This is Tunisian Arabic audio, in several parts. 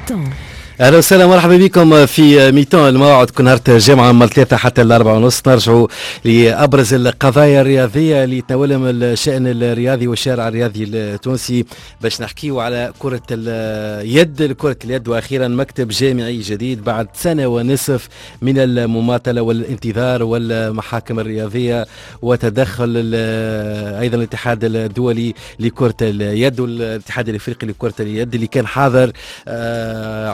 mi-temps. اهلا وسهلا، مرحبا بكم في mi-temps. الموعد كل نهار الجمعة من 3 حتى 4:30، نرجعوا لابرز القضايا الرياضية اللي تناولهم الشان الرياضي والشارع الرياضي التونسي، باش نحكيو على كره اليد. كره اليد واخيرا مكتب جامعي جديد بعد سنة ونصف من المماطله والانتظار والمحاكم الرياضية وتدخل ايضا الاتحاد الدولي لكرة اليد والاتحاد الافريقي لكرة اليد اللي كان حاضر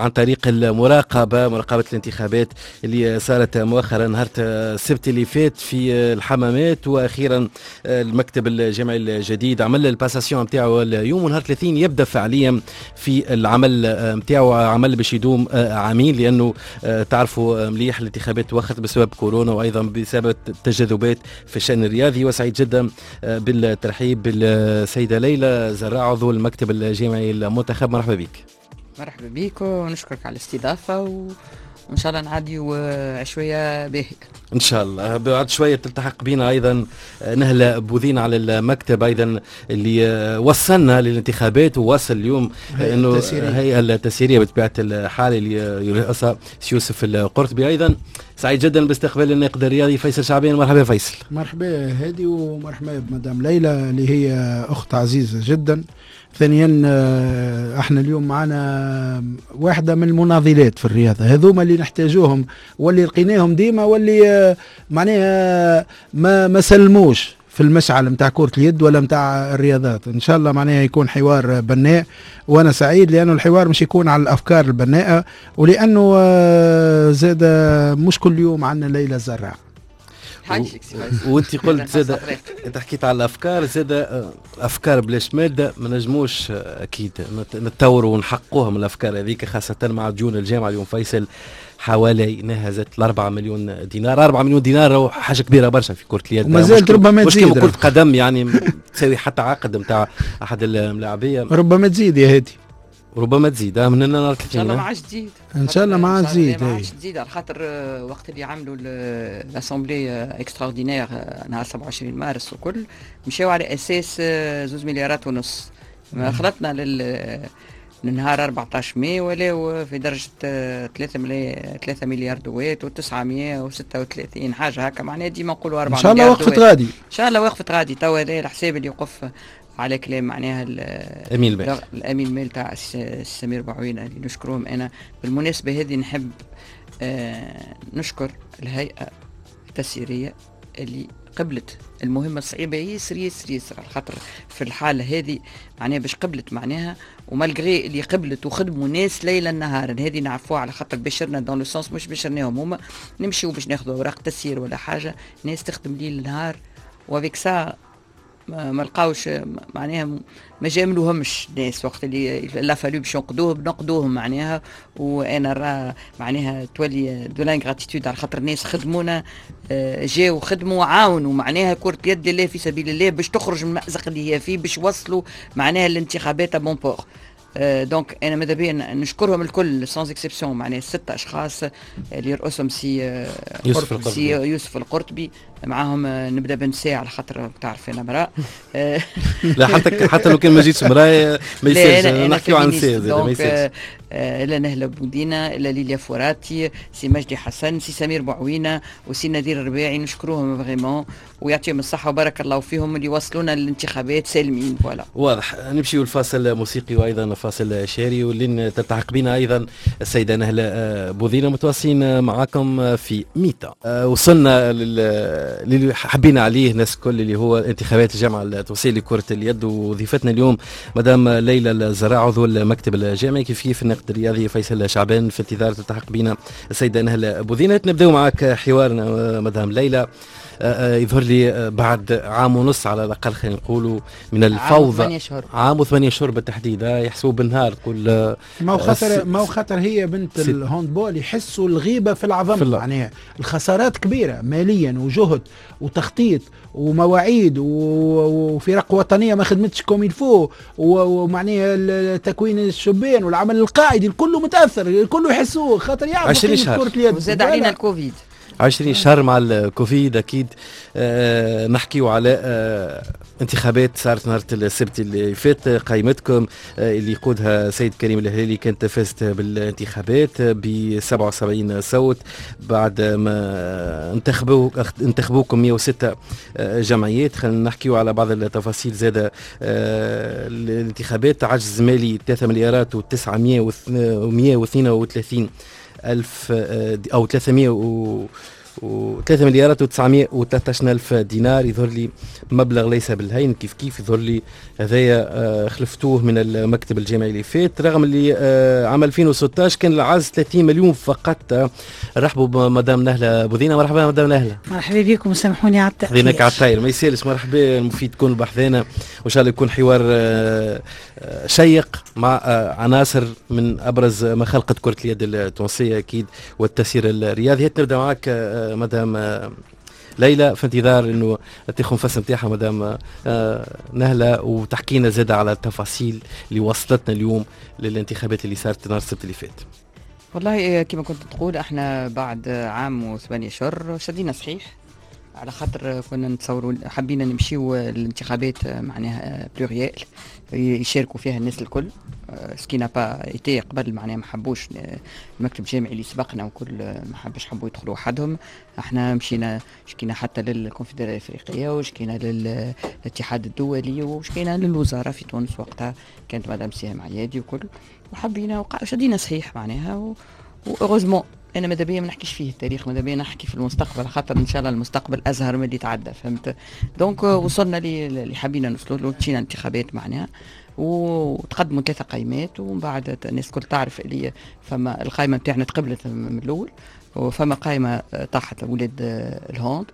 عن طريق المراقبة، مراقبة الانتخابات اللي صارت مؤخرا نهار السبت اللي فات في الحمامات. واخيرا المكتب الجامعي الجديد عمل ال passation نتاعو اليوم، ونهار 30 يبدا فعليا في العمل نتاعو، عمل باش يدوم عامين، لانه تعرفوا مليح الانتخابات وخرت بسبب كورونا وايضا بسبب التجاذبات في الشان الرياضي. وسعيد جدا بالترحيب بالسيده ليلى زراع، عضو المكتب الجامعي المنتخب. مرحبا بك. مرحبا بك ونشكرك على الاستضافة وإن شاء الله نعديو شوية باهي. ان شاء الله. بعد شوية تلتحق بنا ايضا نهله بوذين على المكتب ايضا اللي وصلنا للانتخابات، ووصل اليوم انه الهيئة التسييريه بطبيعة الحال اللي يرأسها يوسف القرطبي. ايضا سعيد جدا باستقبال الناقد الرياضي فيصل شعبان. مرحبا فيصل. مرحبا هادي ومرحبا بمدام ليلى اللي هي اخت عزيزه جدا. ثانيا احنا اليوم معنا واحدة من المناضلات في الرياضة، هذوما اللي نحتاجوهم واللي لقيناهم ديما واللي معناها ما سلموش في المشعل نتاع كرة اليد ولا نتاع الرياضات. ان شاء الله معناها يكون حوار بناء، وانا سعيد لانه الحوار مش يكون على الافكار البناءة، ولانه زاد مش كل يوم عندنا ليلى زرع. وانت قلت زاد، انت حكيت على الافكار، زاد افكار بلاش مادة ما نجموش اكيد نتطوروا ونحققوها من الافكار هذيك، خاصة مع ديون الجامعة. اليوم فيصل حوالي نهزت ال 4 مليون دينار. 4 مليون دينار حاجة كبيرة برشا في كره اليد، وما زالت ربما تزيد. مش كره قدم يعني تساوي حتى عقد نتاع احد الملاعبيه. ربما تزيد يا هادي، ربما تزيد من هنا. ان شاء الله ما عادش تزيد. ان شاء الله ما عادش تزيد. ما عادش تزيد على خاطر وقت اللي عملوا l'assemblée extraordinaire نهار 27 مارس وكل مشاو على اساس 2.5 مليارات. ما خلطنا للنهار 14 ماي ولاو في درجة 3 مليار دوات و936 حاجة هكا، معناها ديما نقولوا 4 ان شاء الله وقفت غادي. ان شاء الله وقفت غادي. توا هذا الحساب اللي يوقف على كلام معناها الامين المال، الامين المال تاع سمير بوعوينه اللي نشكرهم. انا بالمناسبة هذه نحب نشكر الهيئة التسييريه اللي قبلت المهمة الصعيبه ياسر ياسر ياسر، على خاطر في الحالة هذه معناها باش قبلت معناها، و malgré اللي قبلت وخدموا ناس ليلا نهارا، هذه نعرفوها على خاطر بشرنا dans le sens مش بشرناهم هما نمشيو باش ناخذوا اوراق تسيير ولا حاجه، ناس تخدم ليل نهار و avec ça ما لقاوش معناها ما جاملوهمش ناس وقت اللي il a fallu باش ينقدوهم نقدوهم معناها. وانا راه معناها تولي de l'ingratitude على خاطر الناس خدمونا، جاوا خدموا وعاونوا معناها كرة يد لله في سبيل الله باش تخرج من المأزق اللي هي فيه، باش وصلوا معناها الانتخابات à bon port. donc انا ماذا بيا نشكرهم الكل sans exception، معناها ستة اشخاص اللي يرأسهم سي يوسف القرطبي، سي يوسف القرطبي معاهم. نبدا بنساء على خاطر تعرف انا امراة. لا، حتى لو كان ما جيتش مراة ما يصيرش، نحكيو عن نساء ما يصيرش. لا نهله بودينا، لا ليليا فوراتي، سي مجدي حسن، سي سمير بوعوينه وسي نذير الرباعي، نشكروهم vraiment ويعطيهم الصحة وبارك الله فيهم اللي وصلونا للانتخابات سالمين، voilà. واضح. نمشيو الفاصل موسيقي وايضا فاصل شعري، واللي تلتحق بنا ايضا السيدة نهله بوذينه. متواصلين معكم في mi-temps. وصلنا للي حبينا عليه الناس الكل، اللي هو انتخابات الجامعة التونسية لكرة اليد، وضيفتنا اليوم مدام ليلى الزراع، عضو المكتب الجامعي، كيف كيف الناقد الرياضي فيصل شعبان. في انتظار تلتحق بنا السيدة نهله بوذينه نبداو معك حوارنا مدام ليلى. يظهر لي بعد عام ونص على الاقل خلينا نقولوا من الفوضى، عام و8 شهور. عام و8 شهور بالتحديد، يحسبوا بالنهار تقول. ما هو خاطر هي بنت ال handball يحسوا الغيبة في العظم، معناها الخسارات كبيرة ماليا وجهد وتخطيط ومواعيد وفرق وطنية ما خدمتش comme il faut، ومعناها تكوين الشبان والعمل القاعدي الكل متاثر، الكل يحسوه خاطر يعرفوا 20 شهر. كره اليد. وزاد علينا الكوفيد. 20 شهر مع الكوفيد اكيد. نحكيو على انتخابات صارت نهار السبت اللي فات، قائمتكم اللي يقودها سيد كريم الهلالي كانت فازت بالانتخابات ب 77 صوت بعد ما انتخبوكم 106 جمعيات. خلينا نحكيو على بعض التفاصيل زادة. الانتخابات عجز مالي 3 مليارات و 932 ألف أو 300 و3 مليارات و913 ألف دينار، يظهر لي مبلغ ليس بالهين. كيف كيف يظهر لي هذايا خلفتوه من المكتب الجامعي اللي فات، رغم اللي عام 2016 كان العجز 30 مليون فقط. رحبوا بمدام نهلة بوذينة. مرحبا مدام نهلة. مرحبا بكم وسامحوني على التأخير. خذيناك على الطاير، ما يسالش. مرحبا، المفيد تكون بحذانا وان شاء الله يكون حوار شيق مع عناصر من ابرز ما خلقت كرة اليد التونسية اكيد والتسيير الرياضي. نبدا معك مدام ليلى في انتظار انه تاخذ نفس نتاعها مدام نهله وتحكينا زاده على التفاصيل اللي وصلتنا اليوم للانتخابات اللي صارت نهار السبت اللي فات. والله كما كنت تقول احنا بعد عام و8 اشهر شدينا صحيح، على خاطر كنا نتصوروا حبينا نمشيو الانتخابات معناها plurielles يشاركوا فيها الناس الكل، ce qui n'a pas été قبل معناها ما حبوش المكتب الجامعي اللي سبقنا وكل ما حبش، حبوا يدخلوا وحدهم. احنا مشينا شكينا حتى للكونفدراليه الافريقية وشكينا للاتحاد الدولي وشكينا للوزارة في تونس، وقتها كانت مدام سهام عيادي وكل، وحبينا شدينا صحيح معناها و heureusement انا ماذا بيا ما نحكيش فيه التاريخ، ماذا بيا نحكي في المستقبل، خاطر ان شاء الله المستقبل ازهر من اللي تعدى، فهمت؟ donc وصلنا اللي حبينا نوصلوا له، مشينا انتخابات معناها وتقدموا 3 قائمات، ومن بعد الناس الكل تعرف اللي فما القائمة نتاعنا تقبلت من الاول، وفما قائمة طاحت ولاد ال hand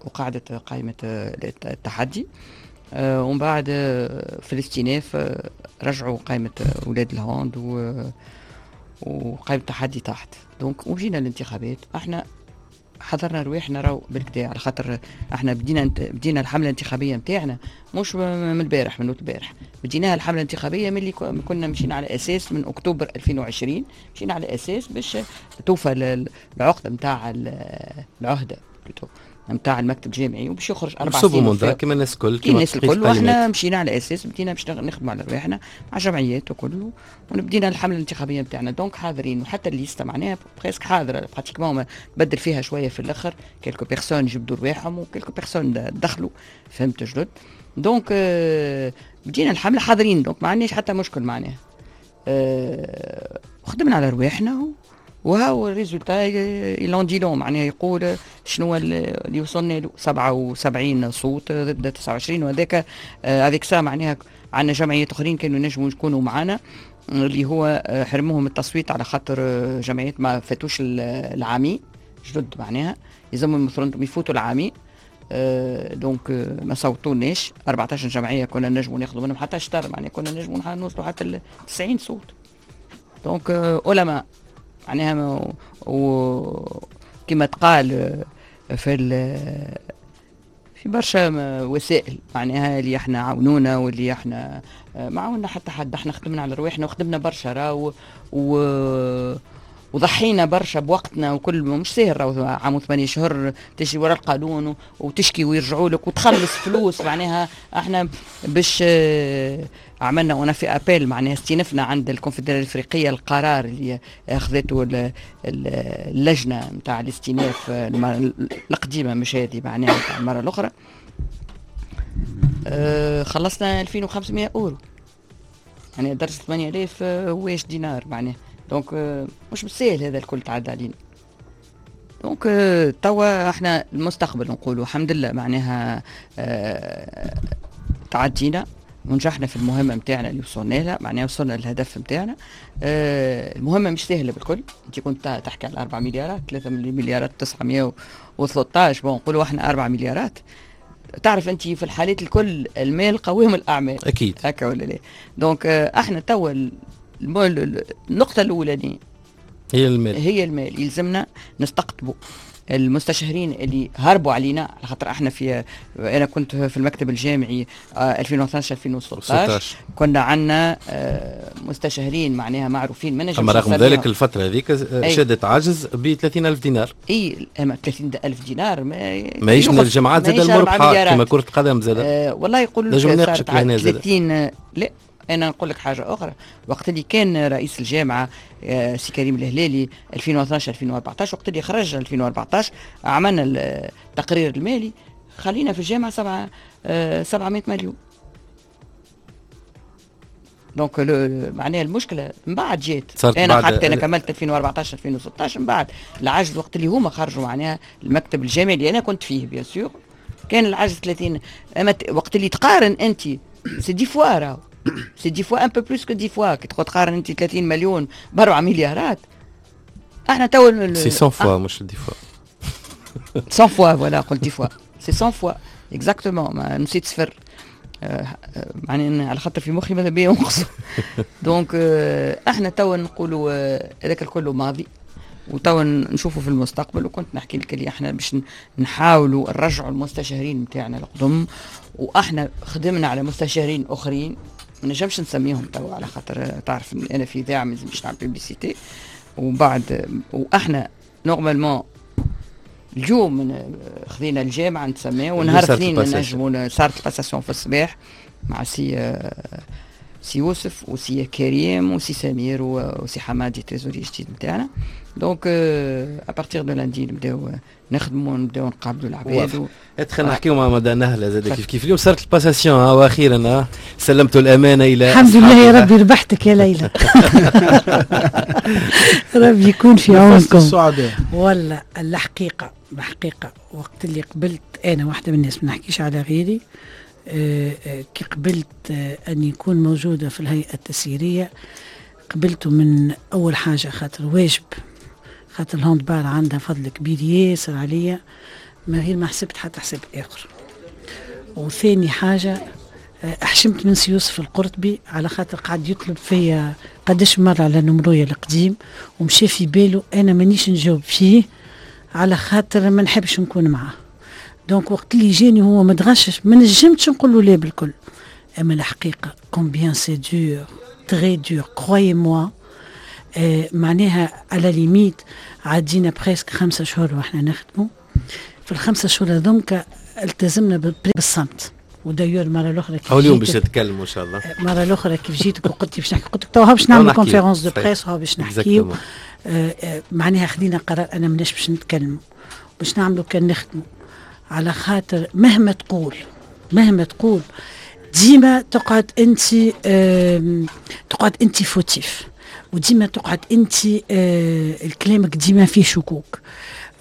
وقعدت قائمة التحدي، ومن بعد في الاستئناف رجعوا قائمة ولاد ال hand وقائمة التحدي تحت. donc وجينا الانتخابات احنا حضرنا رواحنا راهو بالكدا، على خاطر احنا بدينا الحملة الانتخابية نتاعنا مش من البارح، من البارح بديناها الحملة الانتخابية من اللي كنا مشينا على اساس من اكتوبر 2020، مشينا على اساس باش توفى العقدة نتاع العهده نتاع المكتب الجامعي وباش يخرج 4 سنين كما الناس الكل، كما الناس الكل. واحنا مشينا على اساس بدينا باش نخدموا على رواحنا مع جمعيات وكل، وبدينا الحملة الانتخابية نتاعنا. donc حاضرين، وحتى ال liste معناها presque حاضره pratiquement، بدل فيها شوية في الاخر quelques personnes جبدوا رواحهم و quelques personnes دخلوا، فهمت جدد. donc بدينا الحملة حاضرين، donc ما عندناش حتى مشكل معناها. خدمنا على رواحنا وهو ال résultat il en dit long، معناها يقول شنو اللي وصلنا له 77 صوت ضد 29، وهذاك avec ça معناها عندنا جمعيات اخرين كانوا ينجموا يكونوا معنا اللي هو حرموهم التصويت على خاطر جمعيات ما فاتوش العامي جدد، معناها يلزمهم يفوتوا العامي، donc ما صوتوناش. 14 جمعية كنا نجموا ناخذوا منهم حتى شطر، معناها كنا نجموا نوصلوا حتى 90 صوت. donc علماء معناها وكما تقال في برشا وسائل معناها اللي احنا عاونونا واللي احنا ما عاونا حتى حد، احنا خدمنا على رواحنا وخدمنا برشا راهو وضحينا برشا بوقتنا وكل، مش ساهل راهو عام و8 شهور تجري ورا القانون وتشكي ويرجعوا لك وتخلص فلوس. معناها احنا باش عملنا وانا في appel معناها استنفنا عند الكونفدراليه الافريقية القرار اللي اخذته اللجنة نتاع الاستئناف القديمة، مش هذه معناها نتاع المرة الاخرى. خلصنا 2500 اورو، يعني درجه 8000 واش دينار معناها. donc مش بالساهل هذا الكل تعدى علينا. donc توا احنا المستقبل نقولوا الحمد لله معناها تعدينا ونجحنا في المهمة نتاعنا اللي وصلنا لها، معناها وصلنا للهدف نتاعنا. المهمة مش سهلة بالكل، انت كنت تحكي على 4 مليارات، 3 مليارات 913، bon نقولوا احنا 4 مليارات. تعرف انت في الحالات الكل المال قوام الاعمال اكيد، هكا ولا لا؟ donc احنا توا النقطة الاولانية هي المال، هي المال يلزمنا نستقطبوا المستشهرين اللي هربوا علينا، على خاطر احنا في انا كنت في المكتب الجامعي 2012 2016 كنا عندنا مستشهرين معناها معروفين. ما اما رغم ذلك الفترة هذيك شدت عجز ب 30000 دينار. اي اما 30000 دينار ماهيش من الجامعات زاد المربحه كما كره القدم زاد. والله يقولوا لك صارت 30. لا انا نقول لك حاجة اخرى، وقت اللي كان رئيس الجامعة سي كريم الهلالي 2012 2014، وقت اللي خرج 2014 عملنا التقرير المالي، خلينا في الجامعة 700 مليون. donc معناها المشكلة من بعد جات. انا حتى انا كملت 2014 2016، من بعد العجز وقت اللي هما خرجوا معناها المكتب الجامعي اللي انا كنت فيه bien sûr كان العجز 30. اما وقت اللي تقارن انت c'est 10 fois، راهو c'est 10 fois، un peu plus que 10 fois، كي تقارن انت 30 مليون ب4 مليارات. احنا تو c'est 100 fois مش 10 fois. 100 fois، voilà، قلت 10 fois، c'est 100 fois exactement، نسيت صفر، معني على خاطر في مخي ماذا بيا ينقص. donc احنا توا نقولوا هذاك الكل ماضي وتوا نشوفوا في المستقبل. وكنت نحكي لك اللي احنا باش نحاولوا نرجعوا المستشارين نتاعنا القدم، واحنا خدمنا على مستشارين اخرين ما نجمش نسميهم توا على خاطر تعرف انا في اذاعة ما لازمش نعمل publicité. وبعد واحنا normalement اليوم خذينا الجامعة نتسمى ونهار اثنين نجموا صارت ال passation في الصباح مع سي يوسف وسي كريم وسي سمير وسي حمادي trésorier جديد نتاعنا. donc à partir de lundi نبداو نخدموا، نبداو نقابلوا العباد. ادخل نحكيو مع مدام نهله زاد كيف كيف. اليوم صارت ال passation واخيرا سلمت الامانة الى الحمد لله يا ربي، ربحتك يا ليلى، ربي يكون في عونكم. ولا الحقيقة الحقيقة وقت اللي قبلت انا واحدة من الناس، ما نحكيش على غيري، كي قبلت أن يكون موجودة في الهيئة التسييرية قبلته من أول حاجة خاطر واجب، خاطر ال handball عندها فضل كبير ياسر عليا، من غير ما حسبت حتى حساب آخر. وثاني حاجة حشمت من سي يوسف القرطبي على خاطر قعد يطلب فيا قداش مرة على numéro يا القديم ومشى في باله أنا مانيش نجاوب فيه على خاطر ما نحبش نكون معاه. donc وقت اللي جاني هو متغشش ما نجمتش نقول له لا بالكل. اما الحقيقة combien c'est dur، très dur، croyez-moi. معناها à la limite عدينا presque 5 شهور واحنا نخدموا. في ال5 شهور هذوك التزمنا بالصمت. و d'ailleurs المرة الاخرى كيف اليوم باش نتكلموا ان شاء الله. المرة الاخرى كيف جيتك وقلت باش نحكي، قلت لك تو باش نعمل conférence de presse وها باش نحكيو. معناها خدينا قرار انا ماناش باش نتكلموا، باش نعملوا كان نخدموا، على خاطر مهما تقول مهما تقول ديما تقعد انت fautif، وديما تقعد انت الكلامك ديما فيه شكوك،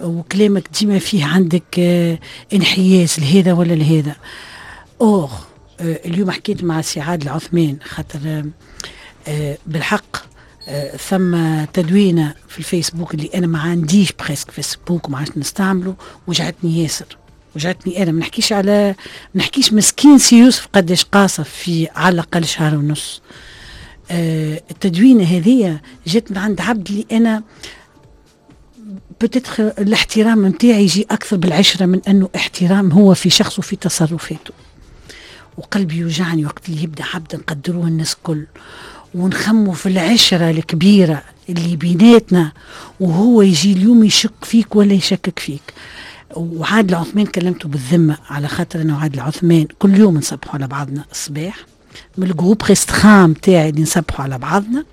وكلامك ديما فيه عندك انحياز لهذا ولا لهذا. or اليوم حكيت مع سي عادل عثمان خاطر بالحق ثم تدوينه في الفيسبوك اللي انا ما عنديش presque فيسبوك وما عادش نستعمله، وجعتني ياسر، وجعتني انا. ما نحكيش على ما نحكيش مسكين سي يوسف قداش قاصف في على الاقل شهر ونص. التدوينه هذه جات من عند عبد اللي انا peut-être الاحترام نتاعي يجي اكثر بالعشرة من انه احترام هو في شخصه وفي تصرفاته. وقلبي يوجعني وقت اللي يبدا عبد نقدروه الناس كل ونخموا في العشرة الكبيرة اللي بيناتنا وهو يجي اليوم يشك فيك ولا يشكك فيك. وعادل عثمان كلمته بالذمة على خاطر أنا وعادل عثمان كل يوم نصبحوا على بعضنا الصباح، من ال groupe restreint تاعي اللي نصبحوا على بعضنا.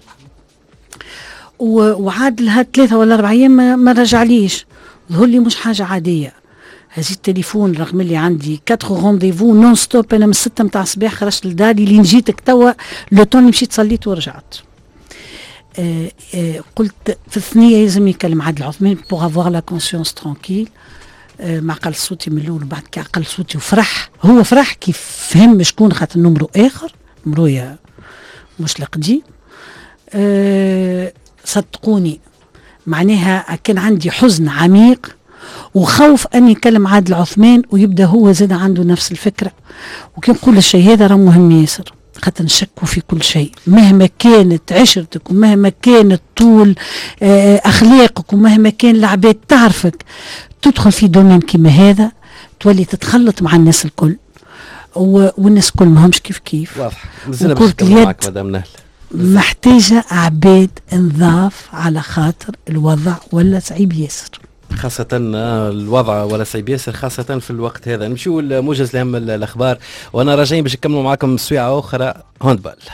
وعادل هاد 3 ولا 4 أيام ما رجعليش، ظهر لي مش حاجة عادية. هزيت التليفون رغم اللي عندي 4 rendez-vous non-stop. انا من 6 متاع الصباح خرجت لداري لين جيتك توا، le temps مشيت صليت ورجعت. قلت في الثنية لازم يكلم عادل عثمان pour avoir la conscience tranquille. ما عقل صوتي من الاول، وبعد كي عقل صوتي وفرح، هو فرح كيف فهم شكون خاطر numéro اخر، numéro مش القديم. صدقوني معناها كان عندي حزن عميق وخوف ان يكلم عادل عثمان ويبدا هو زاد عنده نفس الفكره. وكي نقول الشيء هذا راه مهم ياسر. خاطر نشكوا في كل شيء مهما كانت عشرتك ومهما كانت طول اخلاقك ومهما كان العباد تعرفك، تدخل في domaine كيما هذا تولي تتخلط مع الناس الكل، والناس الكل ماهمش كيف كيف. واضح. مازلنا باش نكملوا معك مدام نهلة. محتاجة عباد نظاف على خاطر الوضع ولا صعيب ياسر. خاصة الوضع ولا صعيب ياسر خاصة في الوقت هذا. نمشيو لموجز لأهم الأخبار وأنا راجعين باش نكملوا معاكم سويعة أخرى handball.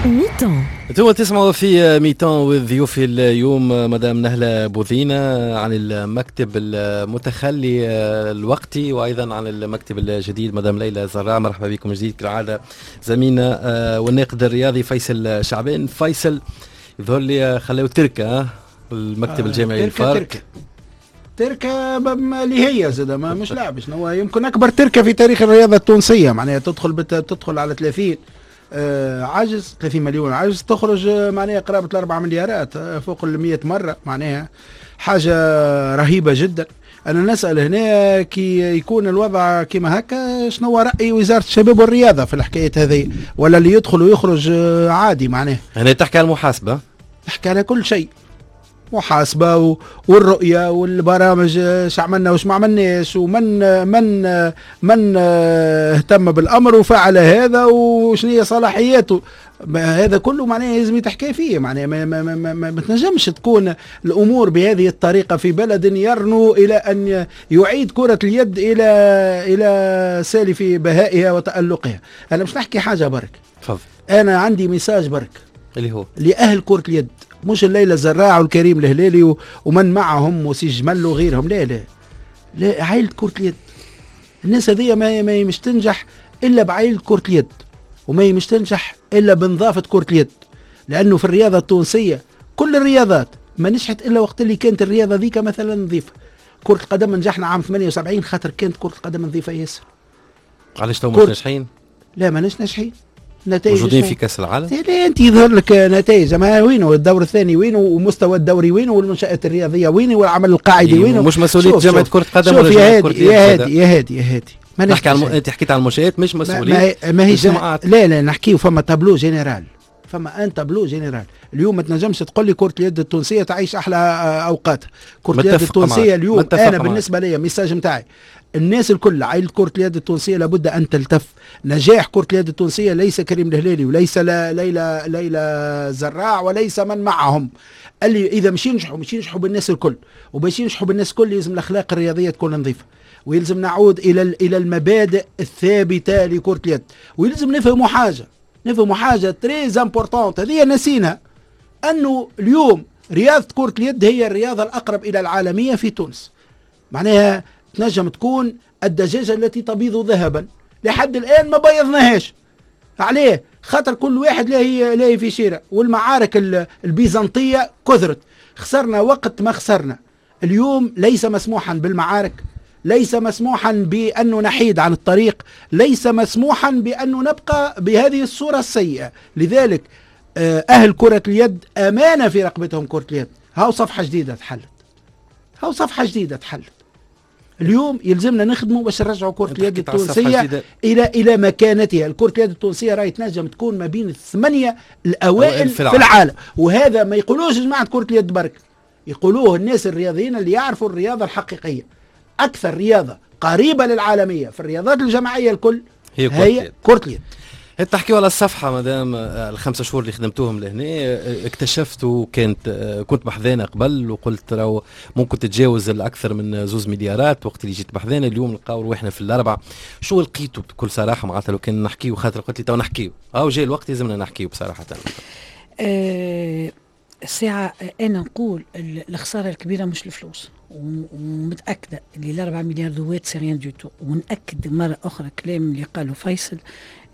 mi-temps. انتم تسمعوا في mi-temps وضيوفي اليوم مدام نهلة بوذينة عن المكتب المتخلي الوقتي، وايضا عن المكتب الجديد مدام ليلى زراع. مرحبا بكم جديد كالعادة زميلنا والناقد الرياضي فيصل شعبان. فيصل، يظهر لي خلاو تركه المكتب الجامعي للفارك. تركه اللي هي زاد ما مش لعب، شنو يمكن اكبر تركه في تاريخ الرياضة التونسية، معناها تدخل على 30 عجز، 30 مليون عجز، تخرج معناها قرابة 4 مليارات فوق 100 مرة، معناها حاجة رهيبة جدا. أنا نسأل هنا كي يكون الوضع كما هكا شنو رأي وزارة الشباب والرياضة في الحكاية هذه، ولا اللي يدخل ويخرج عادي؟ معناها هنا تحكي على المحاسبة، تحكي على كل شيء، محاسبة والرؤية والبرامج، اش عملنا واش ما عملناش، ومن من من اهتم بالأمر وفعل هذا وشنو هي صلاحياته. هذا كله معناه لازم يتحكي فيه، معناه ما, ما, ما, ما, ما تنجمش تكون الأمور بهذه الطريقة في بلد يرنو إلى أن يعيد كرة اليد إلى سالف بهائها وتألقها. أنا مش نحكي حاجة برك، تفضل. أنا عندي message برك اللي هو لأهل كرة اليد، مش الليلة الزراع والكريم الهلالي ومن معهم وسي جمل وغيرهم، لا لا لا، عائلة كرة اليد. الناس هذه ما مش تنجح إلا بعائلة كرة اليد، وما مش تنجح إلا بنظافة كرة اليد، لأنه في الرياضة التونسية كل الرياضات ما نجحت إلا وقت اللي كانت الرياضة ذيك مثلا نظيفة. كرة القدم نجحنا عام 78 خاطر كانت كرة القدم نظيفة ياسر. علاش تو مش ناجحين؟ لا ماناش ناجحين. نتائج موجودين في كاس العالم؟ لا انت يظهر لك نتائج، ما وينه الدور الثاني وينه، ومستوى الدوري وينه، والمنشآت الرياضية وينه، والعمل القاعدي وينه. مش مسؤولية جامعه كره قدم ولا جامعه كره يد. يا هادي يا هادي يا هادي، ما نحكي على انت حكيت على المنشآت مش مسؤولية ما هي لا لا نحكيو فما tableau général، فما un tableau général. اليوم ما تنجمش تقول لي كره اليد التونسية تعيش احلى اوقات. كره اليد التونسية اليوم انا بالنسبة لي message نتاعي الناس الكل، عائلة كرة اليد التونسية لابد أن تلتف. نجاح كرة اليد التونسية ليس كريم الهلالي وليس ليلى زراع وليس من معهم، اللي إذا مش ينجحوا مش ينجحوا بالناس الكل، وباش ينجحوا بالناس الكل لازم الأخلاق الرياضية تكون نظيفة، ويلزم نعود إلى المبادئ الثابتة لكرة اليد، ويلزم نفهموا حاجة، نفهموا حاجة très importante هذه نسينا، أنه اليوم رياضة كرة اليد هي الرياضة الأقرب إلى العالمية في تونس. معناها تنجم تكون الدجاجة التي تبيض ذهبا، لحد الآن ما بيضناهاش. عليه؟ خاطر كل واحد لا في شيرة، والمعارك البيزنطية كثرت، خسرنا وقت ما خسرنا. اليوم ليس مسموحا بالمعارك، ليس مسموحا بأنه نحيد عن الطريق، ليس مسموحا بأنه نبقى بهذه الصورة السيئة. لذلك أهل كرة اليد أمانة في رقبتهم كرة اليد. هاو صفحة جديدة تحلت، هاو صفحة جديدة تحلت. اليوم يلزمنا نخدموا باش نرجعوا كرة اليد التونسية إلى مكانتها. الكرة اليد التونسية راهي تنجم تكون ما بين الثمانية الأوائل في العالم، وهذا ما يقولوش جماعة كرة اليد برك، يقولوه الناس الرياضيين اللي يعرفوا الرياضة الحقيقية. أكثر رياضة قريبة للعالمية في الرياضات الجماعية الكل هي كرة اليد. تحكيوا على الصفحة مدام، الخمسة شهور اللي خدمتوهم لهنا اكتشفتوا كنت بحذانا قبل وقلت راهو ممكن تتجاوز الأكثر من 2 مليارات وقت اللي جيت بحذانا، اليوم نلقاو روحنا في الأربعة. شو لقيتوا بكل صراحة؟ معناتها لو كان نحكيو، خاطر قلت لي تو نحكيو، أو جاي الوقت لازمنا نحكيو بصراحة. الساعة أنا نقول الخسارة الكبيرة مش الفلوس، ومتأكدة اللي 4 مليار دوات c'est rien du tout. ونأكد مرة أخرى كلام اللي قاله فيصل،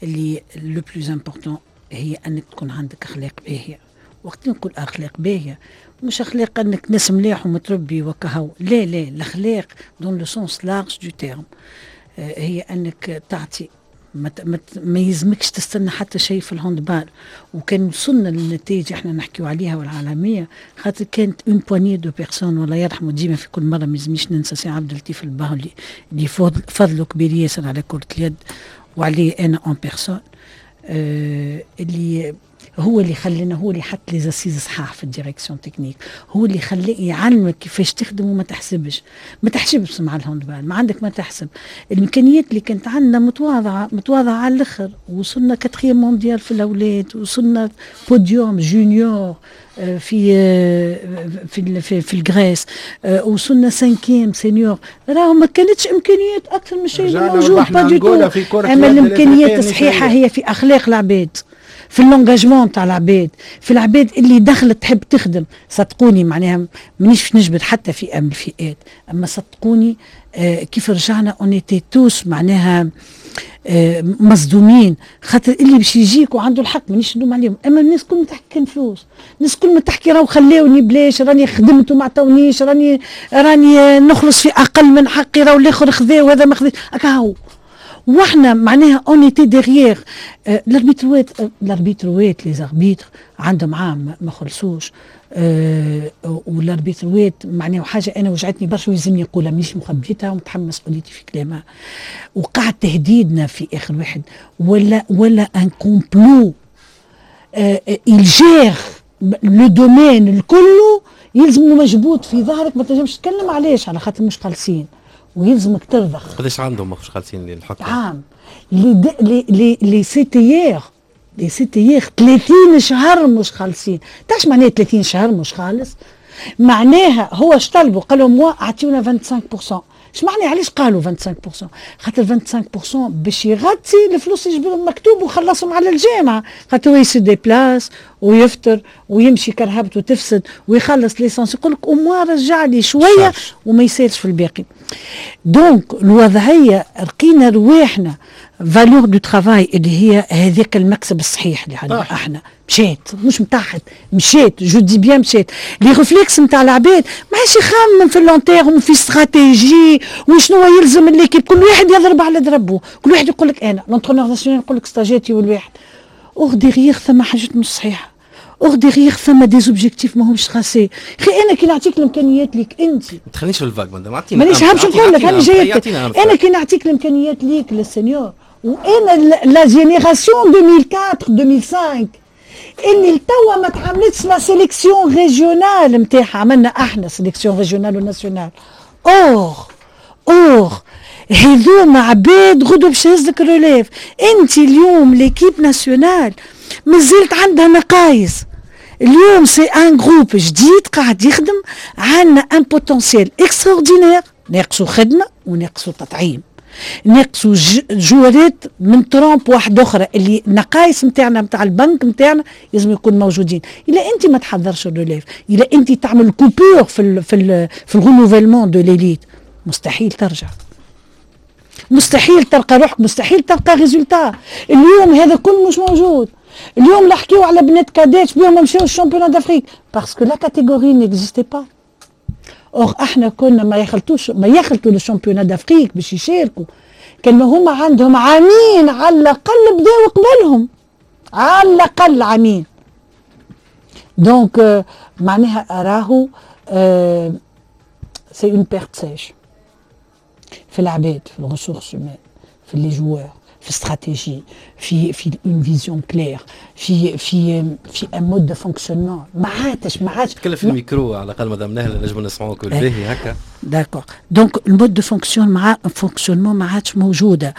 اللي le plus important هي أنك تكون عندك أخلاق باهية. وقت نقول أخلاق باهية مش أخلاق أنك ناس ملاح ومتربي وكهو، لا لا، الأخلاق dans le sens large du terme هي أنك تعطي ما يلزمكش تستنى حتى شيء في ال handball. وكان وصلنا للنتائج احنا نحكيو عليها والعالميه، خاطر كانت une poignée de personnes، والله يرحمه، ديما في كل مرة ما يلزمنيش ننسى سي عبد اللطيف الباهلي اللي فضله كبير ياسر على كره اليد وعليه انا en personne، اللي هو اللي خلينا، هو اللي حط les assises صحاح في ال direction technique، هو اللي خلي يعلمك كيفاش تخدم وما تحسبش، ما تحسبش مع ال handball، ما عندك ما تحسب. الامكانيات اللي كانت عندنا متواضعه، متواضعة على الاخر. وصلنا quatrième mondial في الاولاد، وصلنا podium junior في ال Grèce، وصلنا cinquième senior. راهو ما كانتش امكانيات اكثر من الشيء الموجود، pas du tout. اما الامكانيات الصحيحة هي في اخلاق العباد، في l'engagement تاع العباد، في العباد اللي دخلت تحب تخدم. صدقوني معناها مانيش باش نجبد حتى فئة من الفئات، اما صدقوني كيف رجعنا on était tous معناها مصدومين، خاطر اللي باش يجيك وعنده الحق، مانيش نلوم عليهم، اما الناس كل ما تحكي كان فلوس، الناس كل ما تحكي راهو خلاوني بلاش، راني خدمت وما عطاونيش، راني نخلص في اقل من حقي، راهو الاخر خذا وهذا ما خذاش، هكا. واحنا معناها on était derrière الاربيتروات، الاربيتروات، les arbitres عندهم عام ما خلصوش. والاربيتروات معناها حاجة انا وجعتني برشا ويلزمني نقولها، مانيش مخبيتها ومتحمل مسؤوليتي في كلامها. وقع تهديدنا في اخر واحد ولا un complot، il gère le domaine الكل، يلزم مجبود في ظهرك، ما تنجمش تتكلم. علاش؟ على خاطر مش خالصين ويلزمك ترضخ. قداش عندهم مش خالصين الحكام؟ عام. les CTR، les CTR 30 شهر مش خالصين. تعرفش معناها 30 شهر مش خالص؟ معناها هو اش طلبوا؟ قالوا moi اعطيونا 25%. اش معناها؟ علاش قالوا 25%؟ خاطر 25% باش يغطي الفلوس اللي يجبدهم مكتوب وخلصهم على الجامعه، خاطر هو ي se déplace ويفطر ويمشي كرهبته تفسد ويخلص l'essence، يقول لك au moins رجع لي شوية وما يسالش في الباقي. donc الوضعية لقينا رواحنا valeur du travail اللي هي هذاك المكسب الصحيح اللي عندنا احنا مشات، مش متاحت، مشات، je dis bien مشات. les réflexes نتاع العباد ما عادش يخمم في long terme، في استراتيجي وشنو يلزم l'équipe. كل واحد يضرب على دربه، كل واحد يقول لك انا l'entraîneur national، يقول لك ستاجاتي والواحد. or derrière ثم حاجات مش صحيحه، or derrière ثم des objectifs ماهمش tracés. خي انا كي نعطيك الامكانيات ليك انت ما تخلينيش في ال vague مادام، اعطينا. مانيش حابش نقول لك، هاني جايتك. انا كي نعطيك الامكانيات ليك لل senior، وانا la génération 2004 2005 اللي لتوا ما تعملتش la sélection régionale نتاعها، عملنا احنا sélection régionale و nationale. or هذوما عباد غدوه باش يهزك relève. انت اليوم l'équipe nationale مازالت عندها نقايص. اليوم c'est un groupe جديد قاعد يخدم، عندنا un potentiel extraordinaire، ناقصوا خدمة وناقصوا تطعيم، ناقصوا جوارات من trempe واحدة اخرى، اللي النقايص نتاعنا نتاع البنك نتاعنا لازم يكون موجودين. الا انت ما تحضرش ال relève، الا انت تعمل coupure في ال renouvellement de l'élite، مستحيل ترجع، مستحيل تلقى روحك، مستحيل تلقى résultat. اليوم هذا كل مش موجود. اليوم نحكيو على بنات cadets بيهم ما مشاوش championnat d'Afrique parce que la catégorie n'existait pas. or احنا كنا ما يخلطوش، ما يخلطوا لل championnat d'Afrique باش يشاركوا كان ما هما عندهم عامين على الاقل بداو قبلهم، على الاقل عامين. donc معناها راهو c'est une perte sèche في العباد، في ال ressources humaines، في les joueurs، في استراتيجي، في une vision claire، في un mode de fonctionnement ما عادش. تكلم في الميكرو على الاقل مدام نهله، نجم نسمعوك بالباهي هكا. d'accord، donc ال mode de fonction مع fonctionnement ما عادش موجوده،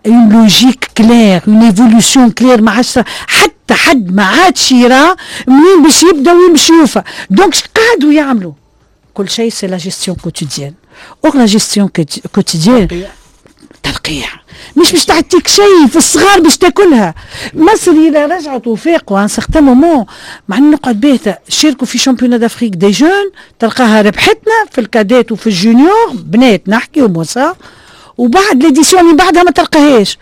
une logique claire، une évolution claire ما عادش. حتى حد ما عادش يرى منين باش يبدا وين باش يوفى. donc قعدوا يعملوا كل شيء c'est la gestion quotidienne. or la gestion quotidienne ترقيع مش باش تعطيك شيء في الصغار باش تاكلها. مصر الى رجعت وفاقوا un certain moment، مع نقعد باهته، شاركوا في championnat d'Afrique des jeunes، تلقاها ربحتنا في ال cadets وفي ال juniors بنات نحكي وموسى، وبعد l'édition اللي بعدها ما تلقاهاش.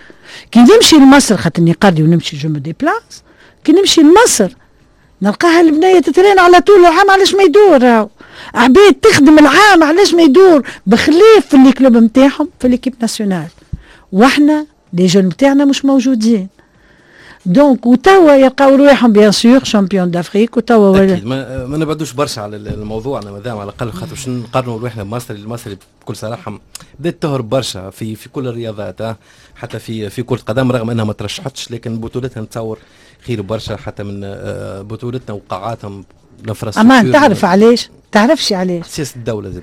كي نمشي لمصر، خاطرني قاضي ونمشي je me déplace، كي نمشي لمصر نلقاها البنية تترين على طول العام، علاش ما يدور؟ عباد تخدم العام، علاش ما يدور؟ بخلاف في les clubs نتاعهم، في l'équipe nationale. واحنا les jeunes نتاعنا مش موجودين. donc وتوا يلقاو رواحهم bien sûr champions d'Afrique. وتوا اكيد ما نبعدوش برشا على الموضوع انا مادام على الاقل، خاطر باش نقارنوا رواحنا بمصر. المصري بكل صراحة بدات تهرب برشا في كل الرياضات، حتى في كره القدم، رغم انها ما ترشحتش لكن بطولتها نتصور خير برشا حتى من بطولتنا وقاعاتهم. امان تعرف علاش؟ تعرفش علاش؟ سياسة الدولة زاد.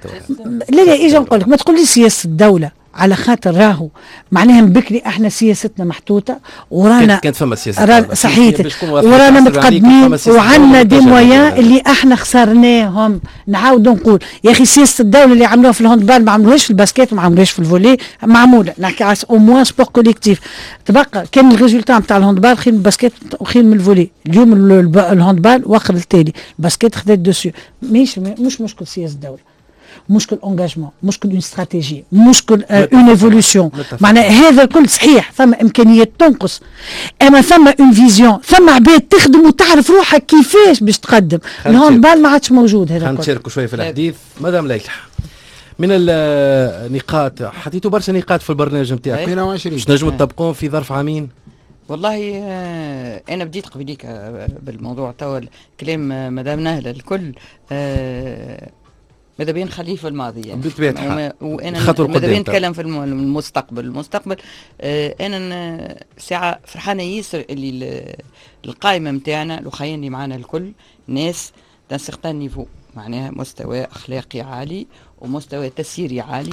لا لا، اجا نقول لك، ما تقولي سياسة الدولة، على خاطر راهو معناها من بكري احنا سياستنا محطوطة ورانا كانت فما سياسه. صحيت، ورانا متقدمين وعندنا des moyens اللي احنا خسرناهم. نعاود نقول يا اخي، سياسة الدولة اللي عملوها في ال handball ما عملوهاش في ال basket، ما عملوهاش في ال volley. معموله، نحكي على au moins sport collectif. تبقى كان ال résultat نتاع ال handball خير من ال basket وخير من ال volley. اليوم ال handball واخر التالي، ال basket خذت dessus. مش مشكل سياسة الدوله، مشكل engagement، مشكل une stratégie، مشكل une évolution. معناها هذا الكل صحيح، ثم امكانيات تنقص، اما ثم une vision، ثم عباد تخدم وتعرف روحها كيفاش باش تقدم. ال handball ما عادش موجود هذا. خلينا نشاركوا شوية في الحديث. مدام ليلى، من النقاط، حطيتوا برشا نقاط في البرنامج نتاعك، 22. باش نجموا تطبقوهم في ظرف عامين؟ والله انا بديت قبليك بالموضوع، توا كلام مدام نهله الكل ماذا بين نخليه في الماضي يعني. بالطبيعة. وانا ماذا بين نتكلم في المستقبل. المستقبل انا ساعة فرحانة ياسر اللي القائمة نتاعنا، الاخيين اللي معانا الكل ناس d'un certain niveau، معناها مستوى اخلاقي عالي ومستوى تسييري عالي.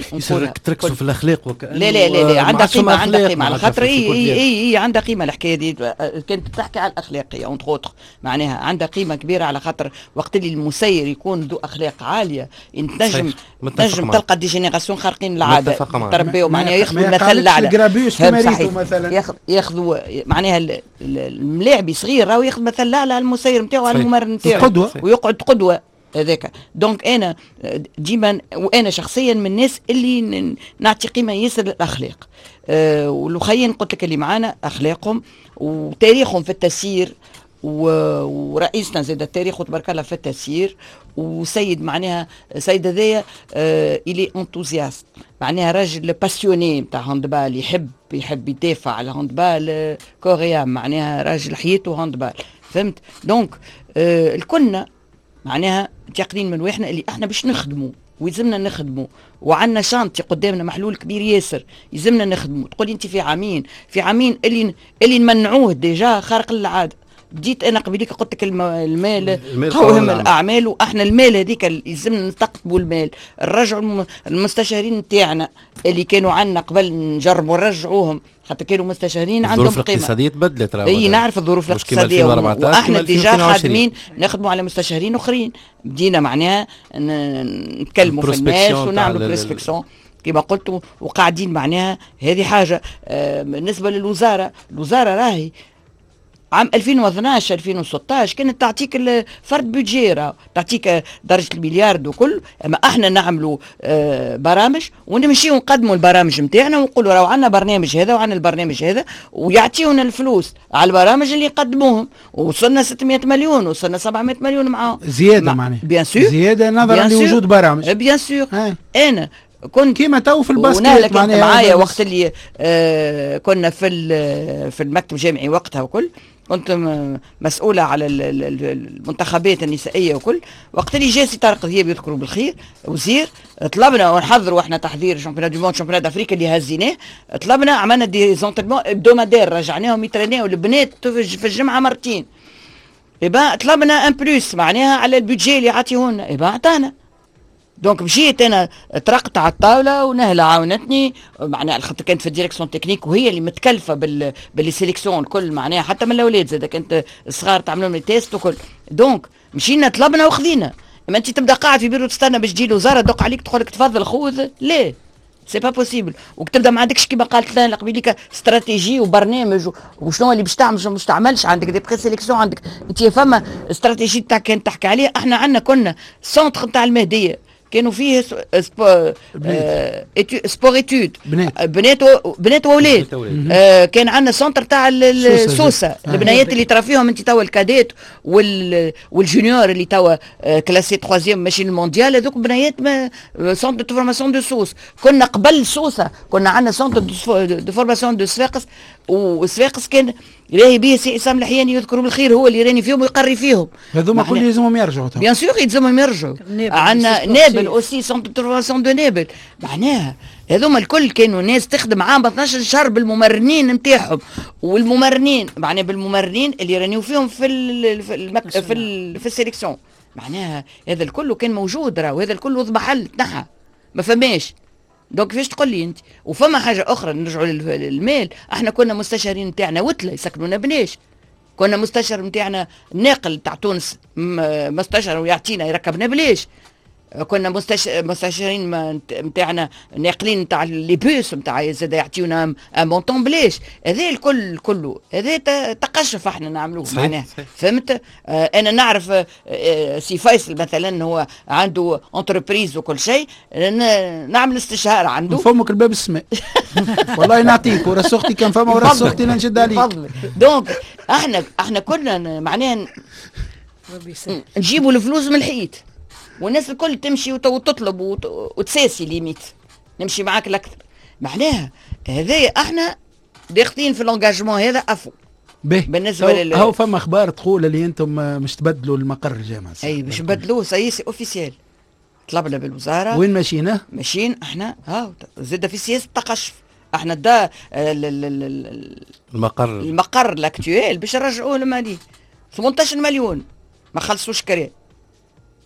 تركزوا في الاخلاق وكأنه لا لا لا لا، عندها قيمه، عندها قيمه، على خاطر اي اي اي عندها قيمة الحكاية دي. كانت تحكي على الاخلاقية entre autres، معناها عندها قيمة كبيره، على خاطر وقت اللي المسير يكون ذو اخلاق عالية تنجم تلقى des générations خارقين العاده، تربيو معناها ياخذوا المثل الاعلى. ياخذوا معناها الملاعبي صغير راهو ياخذ مثل الاعلى على المسير نتاعو، على الممرن نتاعو، قدوه. ويقعد قدوة هذاك. donc انا ديما وانا شخصيا من الناس اللي نعطي قيمة ياسر للاخلاق. والخيين قلت لك اللي معانا اخلاقهم وتاريخهم في التسيير، ورئيسنا زاد التاريخ وتبارك الله في التسيير، وسيد معناها سيد هذايا il est enthousiaste، معناها راجل passionné نتاع handball، يحب يدافع على handball corps et âme، معناها راجل حياته handball، فهمت؟ donc الكلنا معناها متيقنين من واحنا اللي احنا باش نخدموا ويلزمنا نخدموا، وعندنا chantier قدامنا محلول كبير ياسر يلزمنا نخدموا. تقولي انت في عامين، في عامين اللي نمنعوه déjà خارق للعاده. بديت انا قبليك قلت لك المال قوهم الاعمال، واحنا المال هذيك يلزمنا نستقطبوا المال، نرجعوا المستشارين نتاعنا اللي كانوا عندنا قبل، نجربوا نرجعوهم خاطر كانوا مستشارين عندهم الظروف قيمه. الاقتصادية تبدلت. اي نعرف الظروف الاقتصاديه، واحنا déjà خادمين نخدموا على مستشارين اخرين، بدينا معناها نتكلموا في الناس ونعملوا prospection كما قلت، وقاعدين معناها هذه حاجه. بالنسبة للوزاره، الوزارة راهي عام 2012 2016 كانت تعطيك الفرد budget، تعطيك درجه المليار وكل. اما احنا نعملوا برامج ونمشيو نقدموا البرامج نتاعنا ونقولوا راهو عندنا برنامج هذا وعندنا البرنامج هذا، ويعطيونا الفلوس على البرامج اللي يقدموهم. وصلنا 600 مليون، وصلنا 700 مليون معاهم. زيادة معناها. bien sûr. زيادة نظرا لوجود برامج. bien sûr. انا كنت كيما تو في ال basket معناها معايا وقت اللي كنا في المكتب الجامعي وقتها وكل، كنت مسؤولة على المنتخبات النسائية وكل. وقت اللي جا سي طارق ذياب يذكروا بالخير وزير، طلبنا ونحضروا احنا تحضير championnat du monde، championnat d'Afrique اللي هزيناه، طلبنا عملنا des entraînements hebdomadaires، رجعناهم يترينيو البنات في الجمعة مرتين. يبقى طلبنا un plus معناها على ال budget اللي عطيهولنا، يبقى عطانا. donc مشيت انا طرقت على الطاولة ونهله عاونتني، معناها خاطر كانت في ال direction technique وهي اللي متكلفه بال les sélections الكل، معناها حتى من الاولاد زاد كانت الصغار تعملوا لهم tests وكل. donc مشينا طلبنا وخذينا. اما انت تبدا قاعد في بيرو تستنى باش تجي الوزارة تدق عليك تقول لك تفضل خذ، لا c'est pas possible. وتبدا ما عندكش كيما قالت لنا قبيليك استراتيجي وبرنامج وشنو اللي باش تعمل شنو باش تعملش، عندك des présélections، عندك انت فما استراتيجي تاع كان تحكي عليها. احنا عندنا كنا centre نتاع المهدية كانوا فيه sport-études بنات واولاد. كان عندنا centre تاع السوسه، البنيات اللي ترى فيهم انت توا ال cadettes وال juniors اللي توا classés troisième ماشيين المونديال، هذوك بنيات centre de formation de Sousse. كنا قبل سوسة كنا عندنا centre de formation de صفاقس، وصفاقس كان راهي به سي عصام الحياني يذكروا بالخير، هو اللي راني فيهم ويقري فيهم. هذوما كل يلزمهم يرجعوا، bien sûr يلزمهم يرجعوا. عندنا نابل aussi، centre de formation de نابل. معناها هذوما الكل كانوا ناس تخدم عام 12 شهر بالممرنين نتاعهم، والممرنين معناها بالممرنين اللي رانيو فيهم في ال في المك في, ال في ال sélection. معناها هذا الكل كان موجود راه، وهذا الكل اضمحل تنحى ما فماش. donc كيفاش تقول لي انت؟ وفما حاجة اخرى نرجعوا للمال، احنا كنا مستشارين نتاعنا وتله يسكنونا بلاش، كنا مستشار نتاعنا الناقل تاع تونس مستشار ويعطينا يركبنا بلاش، كنا مستشارين نتاعنا ناقلين نتاع les bus نتاع زاد يعطيونا un montant بلاش. هذا الكل كله هذا تقشف احنا نعملوه معناها، فهمت؟ انا نعرف سي فيصل مثلا هو عنده entreprise وكل شيء، نعمل استشهار عنده. فمك الباب السماء والله نعطيك وراس اختي كان فما وراس اختي نشد عليك. donc احنا كنا معناها نجيبوا الفلوس من الحيط، والناس الكل تمشي وتطلب وتساسي limite نمشي معاك الاكثر. معناها هذايا احنا داخلين في l'engagement هذا à fond. بالنسبة لل هاو فما اخبار تقول اللي انتم مش تبدلوا المقر الجامعة. اي باش نبدلوه، ça y est c'est officiel، طلبنا بالوزارة. وين ماشيين؟ ماشيين احنا ها زاد في سياسة التقشف، احنا دا المقر l'actuel باش نرجعوه لماليه 18 مليون ما خلصوش كري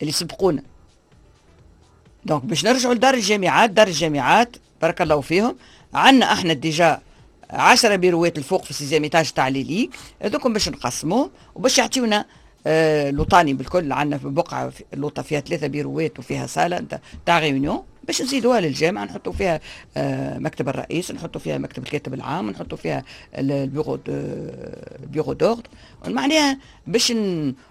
اللي سبقونا. donc باش نرجعوا لدار الجامعات، دار الجامعات بارك الله فيهم عندنا احنا déjà 10 بيروات الفوق في ال sixième étage تاع les ligues، هذوكم باش نقسموهم وباش يعطيونا لوطاني بالكل. عندنا في بقعة لوطه فيها 3 بيروات وفيها salle تاع réunion باش نزيدوها للجامعة، نحطوا فيها مكتب الرئيس، نحطوا فيها مكتب الكاتب العام، نحطوا فيها ال bureau d'ordre. معناها باش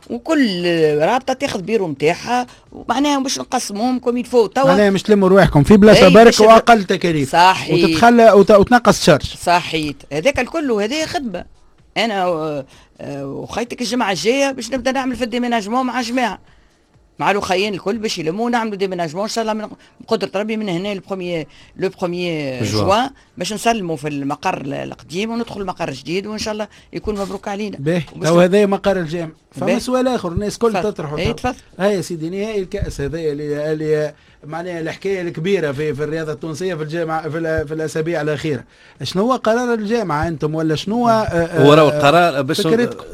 وكل رابطه تاخذ بيرو نتاعها، معناها باش نقسموهم comme il faut. توا معناها مش تلموا رواحكم في بلاصة برك واقل تكاليف، صحيح، وتتخلى وتنقص charges. صحيت، هذاك الكل وهذه خدمة. انا وخيتك الجمعة الجاية باش نبدا نعمل في ال déménagement مع جماعة، مع الاخيين الكل باش يلموا نعملوا déménagement ان شاء الله من قدره ربي من هنا le premier juin باش نسلموا في المقر القديم وندخل المقر الجديد، وان شاء الله يكون مبروك علينا. باهي، تو هذا مقر الجامع. فما سؤال اخر الناس الكل تطرحه. اي تفضل. هيا سيدي، نهائي الكاس هذا اللي معناها الحكاية الكبيرة في الرياضة التونسية في الجامعة في الاسابيع الاخيرة، شنو هو قرار الجامعة انتم ولا شنو هو راهو القرار باش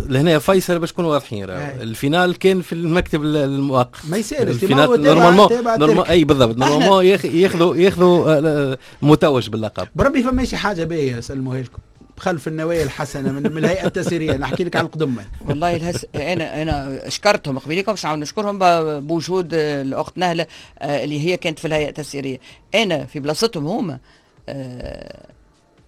لهنا فيصل باش نكونوا واضحين، ال finale كان في المكتب المؤقت ما يسالش ال finale normalement اي بالضبط normalement ياخذوا متوج باللقب. بربي فما شي حاجة باهيه سلموها لكم خلف النوايا الحسنة من الهيئة التسييريه، نحكي لك على القدم. والله انا شكرتهم قبيلكم باش نعاود نشكرهم بوجود الاخت نهله اللي هي كانت في الهيئة التسييريه. انا في بلاصتهم هما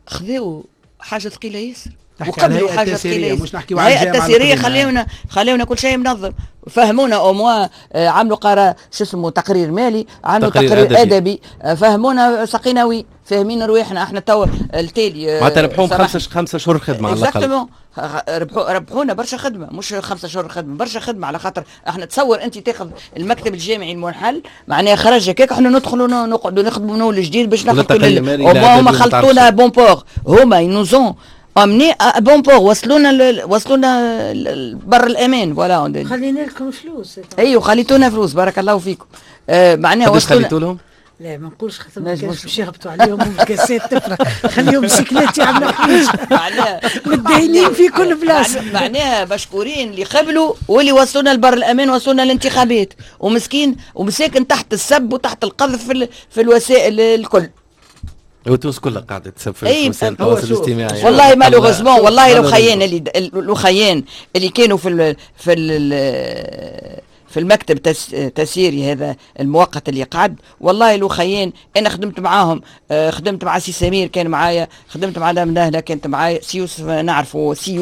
خذاو حاجة ثقيلة ياسر وقبلوا حاجة ثقيلة، مش نحكيو على الهيئة التسييريه. خليونا كل شيء منظم، فهمونا au moins، عملوا قرار شو اسمه تقرير مالي، عملوا تقرير ادبي، فهمونا سقينا وين فاهمين رواحنا احنا توا التالي. معناتها ربحوهم 5 شهور خدمة على الاقل. ربحونا برشا خدمة، مش 5 شهور خدمة، برشا خدمة على خاطر احنا تصور انت تاخذ المكتب الجامعي المنحل معناها خرج هكاك، احنا ندخلوا نقعدوا نخدموا من اول جديد باش ناخذوا هما خلطونا bon port، هما nous ont amenés à bon port، وصلونا بر الامان. voilà خلينا لكم فلوس. ايوه خليتونا فلوس، بارك الله فيكم. معناها قداش خليتوا لهم؟ لا ما نقولش خاطر ما كانش باش يهبطوا عليهم الكاسات تفرح، خليهم بسيكلات يعملوا حاجة متدينين في كل بلاصة. معناها مشكورين اللي قبلوا واللي وصلونا لبر الامان، وصلونا للانتخابات، ومسكين ومساكن تحت السب وتحت القذف في الوسائل الكل. وتونس كلها قاعدة تسب في وسائل التواصل الاجتماعي. والله malheureusement، والله الوخيان اللي كانوا في في المكتب التسييري هذا المؤقت اللي قعد، والله لو خيين انا خدمت معاهم، خدمت مع سي سمير كان معايا، خدمت مع دام نهله كانت معايا، سي يوسف نعرفه، سي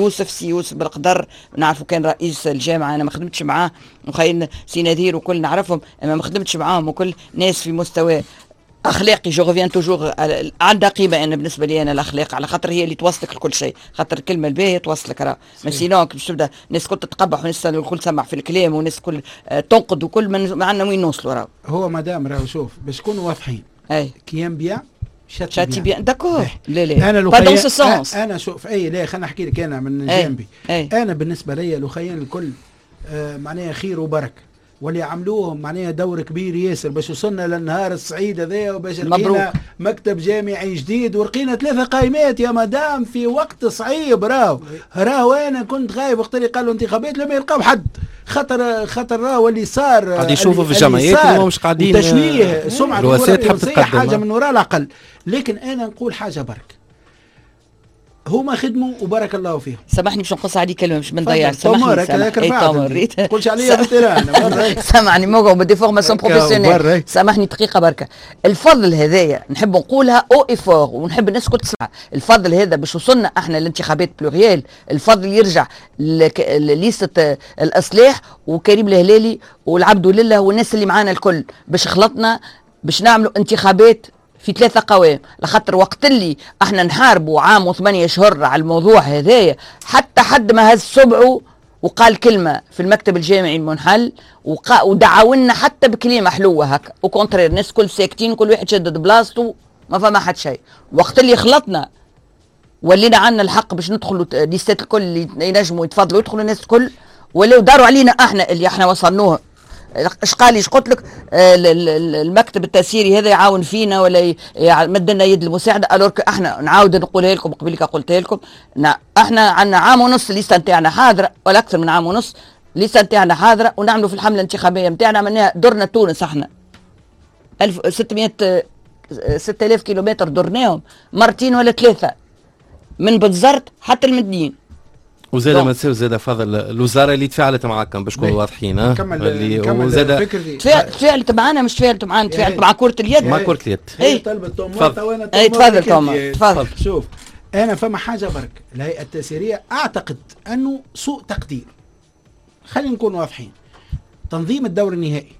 يوسف بالقدر نعرفه كان رئيس الجامعة، انا ما خدمتش معاه، وخيين سي نذير وكل نعرفهم، اما ما خدمتش معاهم، وكل ناس في مستوى اخلاقي. je reviens toujours عندها قيمة انا بالنسبة لي انا الاخلاق، على خاطر هي اللي توصلك لكل شيء، خاطر الكلمة الباهيه توصلك راه، mais sinon باش تبدا الناس الكل تتقبح والناس الكل تسمع في الكلام والناس الكل تنقد وكل، ما عندنا وين نوصلوا راه. هو مدام راهو شوف باش نكونوا واضحين، qui aime bien châtie bien d'accord. لا لا انا لو انا شوف اي لا خلينا نحكي لك انا من جانبي. انا بالنسبة لي لو الكل معناها خير وبركة، واللي عملوهم معناها دور كبير ياسر باش وصلنا للنهار السعيد هذايا، وباش لقينا مكتب جامعي جديد، ولقينا 3 قائمات يا مدام في وقت صعيب. راهو انا كنت غايب وقت اللي قالوا انتخابات لما يلقاو حد، خاطر راهو اللي صار قاعد يشوفوا في الجمعيات اللي مش قاعدين تشويه سمعه الكره حاجة من وراء العقل. لكن انا نقول حاجة برك، هما خدموا وبارك الله فيهم. سامحني باش نقص عليك كلمة باش ما نضيعش. سامحني تقولش عليا بالتيران. سامحني موقع ب déformation professionnelle. سامحني دقيقة بركة. الفضل هذايا نحب نقولها haut et fort، ونحب الناس الكل تسمع. الفضل هذا باش وصلنا احنا للانتخابات plurielles، الفضل يرجع لليسته الاصلاح وكريم الهلالي والعبد لله والناس اللي معانا الكل، باش خلطنا باش نعملوا انتخابات في 3 قوائم. لخاطر وقت اللي احنا نحاربوا عام و8 شهور على الموضوع هذايا، حتى حد ما هز صبعه وقال كلمة في المكتب الجامعي المنحل، ودعاونا حتى بكلمه حلوة هكا، au contraire الناس كل ساكتين، كل واحد شدد بلاصته، ما فما حد شيء. وقت اللي خلطنا ولينا عندنا الحق باش ندخلوا ليستات الكل اللي ينجموا يتفضلوا يدخلوا الناس الكل، ولاو داروا علينا احنا اللي احنا وصلنوه. اش قال لي قلت لك المكتب التسييري هذا يعاون فينا ولا مد لنا يد المساعدة، alors احنا نعاود نقولها لكم قبل قلتها لكم، احنا عندنا عام ونص الليستة نتاعنا حاضره، ولا اكثر من عام ونص الليستة نتاعنا حاضره، ونعملوا في الحملة الانتخابية نتاعنا، عملناها درنا تونس احنا 1600 6000 كيلومتر درناهم مرتين ولا 3 من بنزرت حتى المدنين. وزاد ما تنساوش زاد فضل الوزارة اللي تفاعلت معاكم باش نكونوا واضحين. اللي وزاد تفاعلت معنا، مش تفاعلت معنا، تفاعلت مع كره اليد، مع كره اليد. هي طلبت توم وانا تفضل توم تفضل. شوف انا فما حاجة برك، الهيئة التسييريه اعتقد انه سوء تقدير، خلينا نكون واضحين. تنظيم الدور النهائي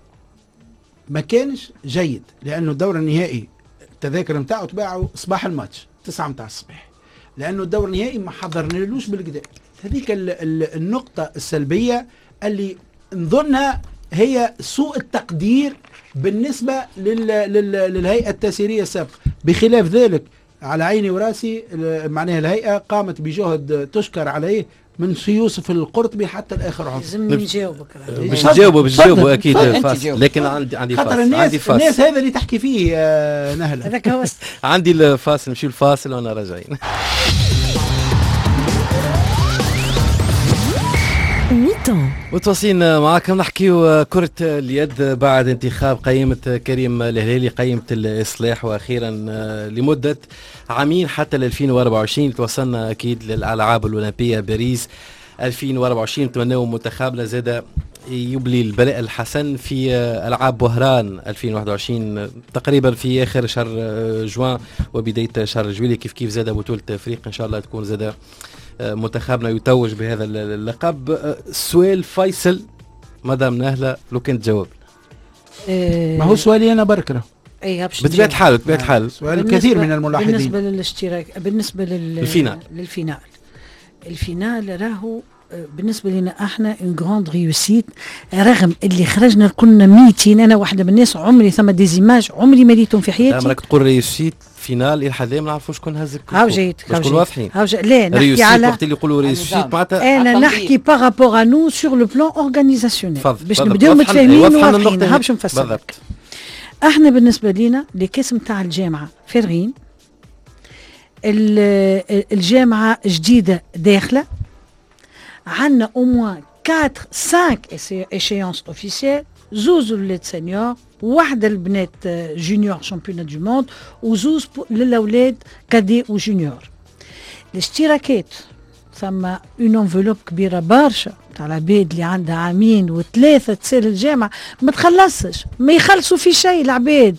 ما كانش جيد، لانه الدور النهائي التذاكر نتاعو تباعوا صباح الماتش 9 متاع الصباح، لانه الدور النهائي ما حضرنالوش بالكدا. هذيك النقطة السلبية اللي نظنها هي سوء التقدير بالنسبة للهيئة التسييرية السابقة. بخلاف ذلك على عيني وراسي معناها الهيئة قامت بجهد تشكر عليه من سي يوسف القرطبي حتى الآخر عضو. لازم نجاوبك باش نجاوبه أكيد، لكن عندي فاصل. عندي فاصل. الناس هذا اللي تحكي فيه نهلة هذاك هو. عندي الفاصل، نمشي الفاصل وأنا راجعين. متواصلين معاكم نحكيو كرة اليد بعد انتخاب قائمة كريم الهلالي قائمة الإصلاح، وأخيرا لمدة عامين حتى 2024 توصلنا أكيد للألعاب الأولمبية باريس 2024. نتمناو منتخبنا زاد يبلي البلاء الحسن في ألعاب وهران 2021 تقريبا في آخر شهر جوان وبداية شهر جويلية، كيف كيف زاد بطولة أفريقيا إن شاء الله تكون زاد منتخبنا يتوج بهذا اللقب. سؤال فيصل مدام نهلة لو كنت تجاوب. ما هو سؤالي أنا بركره. اي بطبيعة الحال، بطبيعة الحال سؤال كثير من الملاحظين. بالنسبة للاشتراك، بالنسبة لل finale، ال finale راهو بالنسبة لنا احنا une grande réussite، رغم اللي خرجنا كنا 200، انا واحدة من الناس عمري ثم des images عمري ما ريتهم في حياتي. راك تقول réussite finale الى حد ما نعرفوش شكون هزك. هاو جيت باش واضحين. لا نحكي على وقت اللي يقولوا réussite معناتها انا نحكي par rapport à nous sur le plan organisationnel باش نبداو متفاهمين وواضحين. ها باش نفسر احنا بالنسبة لينا les caisses نتاع الجامعة فارغين، الجامعة جديدة داخله، عندنا au moins 4 5 échéances officielles، زوز ولاد seniors، واحدة البنات junior championnat du monde، وزوز للاولاد cadets و juniors. الاشتراكات ثم une enveloppe كبيرة برشا تاع العباد اللي عندها عامين وثلاثة تسال الجامعة ما تخلصش، ما يخلصوا في شيء العباد،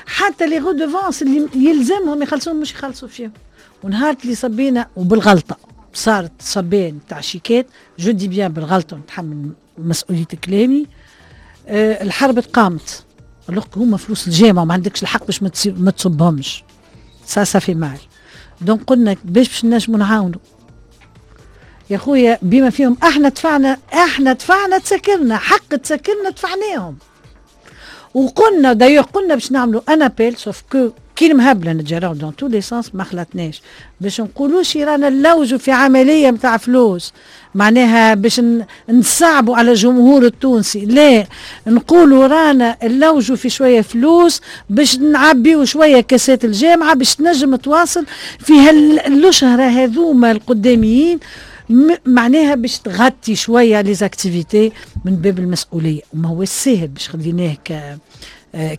حتى les redevances اللي يلزمهم يخلصوهم مش يخلصوا فيهم. ونهار اللي صبينا وبالغلطه صارت صبين تاع شيكات، je dis bien بالغلطه ونتحمل مسؤولية كلامي، الحرب تقامت. alors هما فلوس الجامعة وما عندكش الحق باش ما تصبهمش، ça fait mal. donc قلنا باش نجموا نعاونوا يا خويا بما فيهم احنا دفعنا، احنا دفعنا تسكرنا حق تسكرنا دفعناهم. وقلنا d'ailleurs قلنا باش نعملوا un appel، sauf que كي المهبله نتجراو dans tous les sens ما خلطناش باش نقولوش رانا نلوجوا في عملية نتاع فلوس، معناها باش نصعبوا على الجمهور التونسي، لا نقولوا رانا نلوجوا في شوية فلوس باش نعبيو شوية كاسات الجامعة باش تنجم تواصل في هالشهر هذوما القداميين، معناها باش تغطي شوية les activités من باب المسؤولية. وما هو الساهل باش خذيناه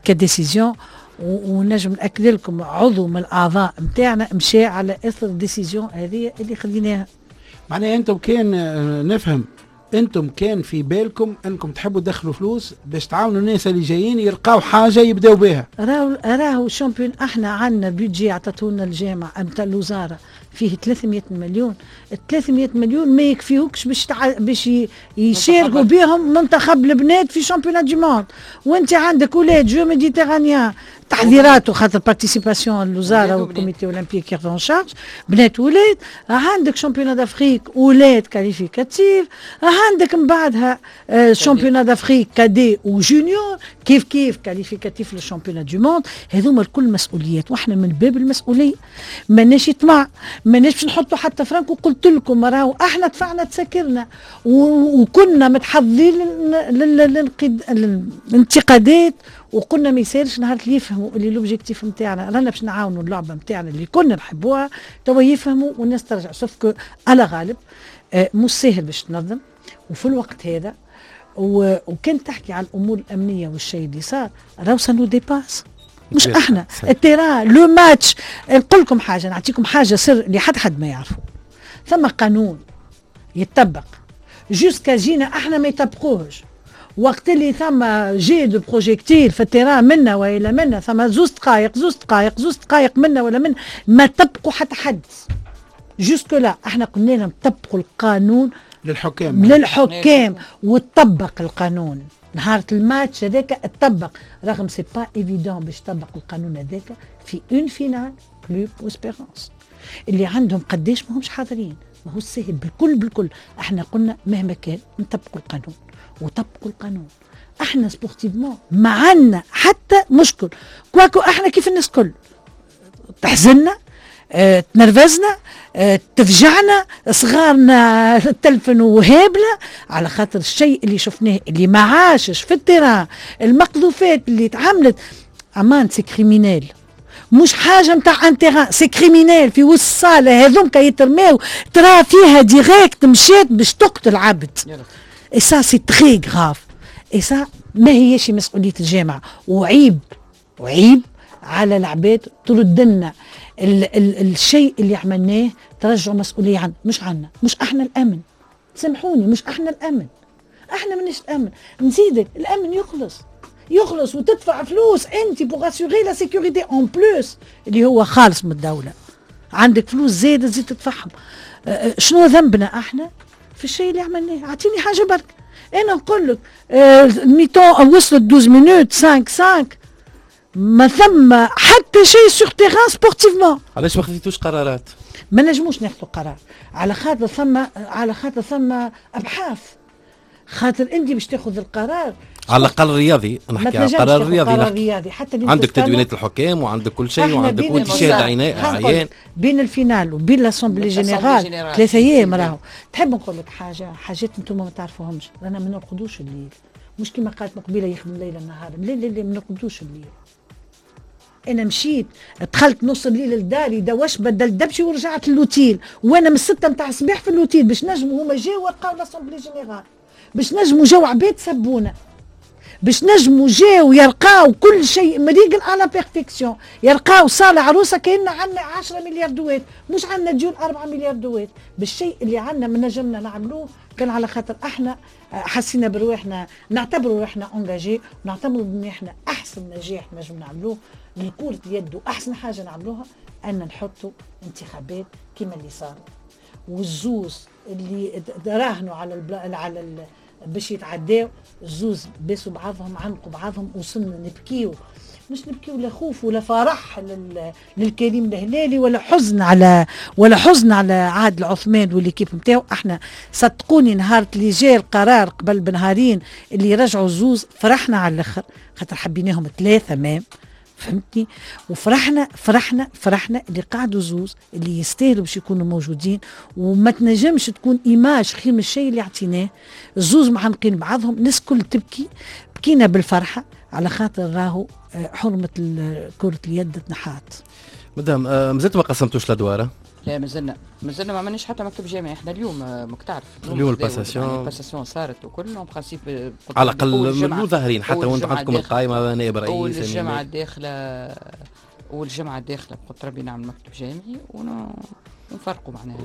ك décision، ونجم ناكد لكم عضو من الاعضاء نتاعنا مشى على اثر ال décision هذه اللي خذيناها. معناها انتم كان نفهم انتم كان في بالكم انكم تحبوا تدخلوا فلوس باش تعاونوا الناس اللي جايين يلقاو حاجة يبداو بها. راهو champion احنا عندنا budget عطاتونا الجامعة نتاع الوزارة فيه 300 مليون، ال 300 مليون ما يكفيوكش باش يشاركوا بهم منتخب البنات في championnat du monde، وانت عندك ولاد Jeux méditerranéens تحضيراته خاطر participation الوزارة وال comité olympique ياخذوا en charge بنات ولاد، عندك championnat d'Afrique ولاد qualificatif، عندك من بعدها championnat d'Afrique cadets و juniors كيف كيف qualificatif لل championnat du monde. هذوما الكل مسؤوليات، واحنا من باب المسؤولية ماناش طمع، ماناش باش نحطوا حتى فرنك. وقلت لكم راهو احنا دفعنا تسكرنا وكنا متحضرين للانتقادات، وقلنا ما يسالش نهار اللي يفهموا اللي l'objectif نتاعنا رانا باش نعاونوا اللعبة نتاعنا اللي كنا نحبوها توا يفهموا والناس ترجع. sauf que على غالب مش ساهل باش تنظم وفي الوقت هذا، وكان تحكي على الامور الامنية والشيء اللي صار راهو ça nous dépasse، مش احنا ال terrain le match. نقول لكم حاجة، نعطيكم حاجة سر اللي حد ما يعرفه، ثم قانون يتطبق jusqu'à جينا احنا ما يطبقوهش. وقت اللي ثم jet de projectiles في ال terrain منا والا منا، ثم زوز دقائق زوز دقائق زوز دقائق منا ولا من ما طبقوا حتى حد jusque-là. احنا قلنا لهم طبقوا القانون للحكام، للحكام، وتطبق القانون نهار الماتش هذاك تطبق، رغم c'est pas évident باش تطبق القانون هذاك في une finale Club و Espérance اللي عندهم قداش ما همش حاضرين، ما هو سهل بالكل بالكل. احنا قلنا مهما كان نطبقوا القانون وطبقوا القانون. احنا sportivement ما عندنا حتى مشكل، quoique احنا كيف الناس كل تحزننا، تنرفزنا، تفجعنا، صغارنا تلفنوا وهابله على خاطر الشيء اللي شفناه اللي ما عاشش في ال terrain، المقذوفات اللي تعملت امان c'est criminel، مش حاجة نتاع un terrain، c'est criminel في وسط الصاله هذوك يترماو ترى فيها direct مشات باش تقتل عبد. et ça c'est très grave، et ça ما هيش مسؤولية الجامعة، وعيب وعيب على العباد ترد لنا الشيء اللي عملناه، ترجعوا مسؤولية عنا، مش عنا، مش احنا الامن، سامحوني مش احنا الامن، احنا مانيش الامن. نزيدك الامن يخلص يخلص وتدفع فلوس انت pour assurer la sécurité en plus اللي هو خالص من الدولة، عندك فلوس زايدة تزيد تدفعهم. شنو ذنبنا احنا في الشيء اللي عملناه؟ اعطيني حاجة برك، انا نقول لك mi-temps وصلت 12 minutes 5 5 ما ثم حتى شيء sur terrain sportivement. علاش ما خذيتوش قرارات؟ ما نجموش ناخذوا قرار على خاطر ثم، على خاطر ثم ابحاث، خاطر انت باش تاخذ القرار على الاقل الرياضي، نحكي على القرار الرياضي، القرار الرياضي حتى عندك تدوينات الحكام وعندك كل شيء وعندك وانت شاهد عيان بين ال finale وبين l'assemblée générale 3 ايام. راهو تحب نقول لك حاجة، حاجات انتم ما تعرفوهمش، رانا ما نرقدوش الليل، مش كما قالت مقبله يخدم ليل نهار، لا لا لا ما نرقدوش الليل. انا مشيت دخلت نص الليل لداري دوش بدلت دبشي ورجعت للوتيل، وانا من 6 نتاع الصباح في l'hôtel باش نجموا هما جاوا ولقاو l'assemblée générale، باش نجموا جاو عباد سبونا، باش نجموا جاو يلقاو كل شيء مريقل à la perfection، يلقاو صاله عروسه كأن عندنا 10 مليار دوات، مش عندنا ديون 4 مليار دوات. بالشيء اللي عندنا ما نجمنا نعملوه كان على خاطر احنا حسينا برواحنا، نعتبروا روحنا engagés، ونعتبروا ان احنا احسن نجاح نجم نعملوه لكرة اليد، واحسن حاجة نعملوها ان نحطوا انتخابات كما اللي صارت، والزوز اللي راهنوا على باش يتعداو الزوز باسوا بعضهم، عنقوا بعضهم، وصلنا نبكيو، مش نبكيو لا خوف ولا فرح للكريم الهلالي ولا حزن على عادل عثمان وال équipe نتاعو. احنا صدقوني نهار اللي جاء القرار قبل بنهارين اللي رجعوا الزوز فرحنا على الاخر، خاطر حبيناهم ثلاثة même، فهمتني؟ وفرحنا فرحنا فرحنا اللي قعدوا زوز اللي يستاهلوا باش يكونوا موجودين، وما تنجمش تكون image خير من الشيء اللي عطيناه. الزوز معنقين بعضهم، الناس كل تبكي، بكينا بالفرحه على خاطر راهو حرمه كره اليد تنحات. مدام مازلتوا ما قسمتوش الادوار؟ لا مازلنا ما عملناش حتى مكتب جامعي. احنا اليوم ماك تعرف اليوم ال passation، ال passation صارت وكل en principe على الاقل من ظاهرين حتى وانت عندكم القائمة نائب رئيس. اول الجمعة الداخلة، اول الجمعة الداخلة بقدر ربي نعمل مكتب جامعي ونفرقوا معناها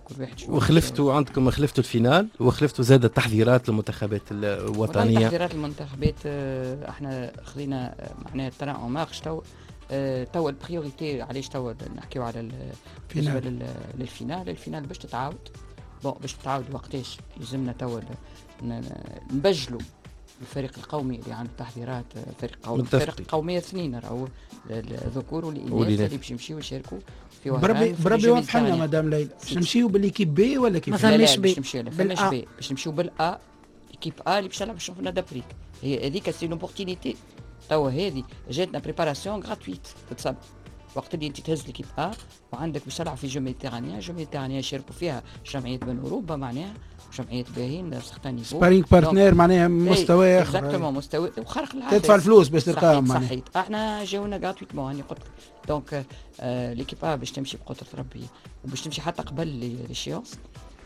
كل واحد شو. وخلفتوا عندكم، خلفتوا ال finale وخلفتوا زاد التحضيرات للمنتخبات الوطنية. تحضيرات المنتخبات احنا خذينا معناها train en marche تو. توا ال priorité علاش توا نحكيو على بالنسبة لل finale، ال finale باش تتعاود، bon باش تتعاود وقتاش يلزمنا توا نبجلوا الفريق القومي اللي عنده تحضيرات، فريق قومي، فريق قومية اثنين راهو الذكور والاناث اللي باش يمشيو يشاركوا في وهران. بربي واضح لنا مدام ليلى، باش نمشيو بال équipe B ولا كيف؟ ما فماش B، باش B، باش نمشيو بال A، équipe A اللي باش تلعب ال championnat d'Afrique. هي هذيك c'est une opportunité توا، هذه جاتنا préparation gratuite تتسمى. وقت اللي انت تهز l'équipe A وعندك باش تلعب في jeux méditerranéens، jeux méditerranéens يشاركوا فيها جمعيات من اوروبا معناها جمعيات باهين certain niveau sparring partner معناها مستوى اخر، exactement مستوى وخارق العادة، تدفع الفلوس باش تلقاهم معناها. صحيح احنا جاونا gratuitement هاني قلت لك. donc l'équipe A باش تمشي بقدره ربي وباش تمشي حتى قبل l'échéance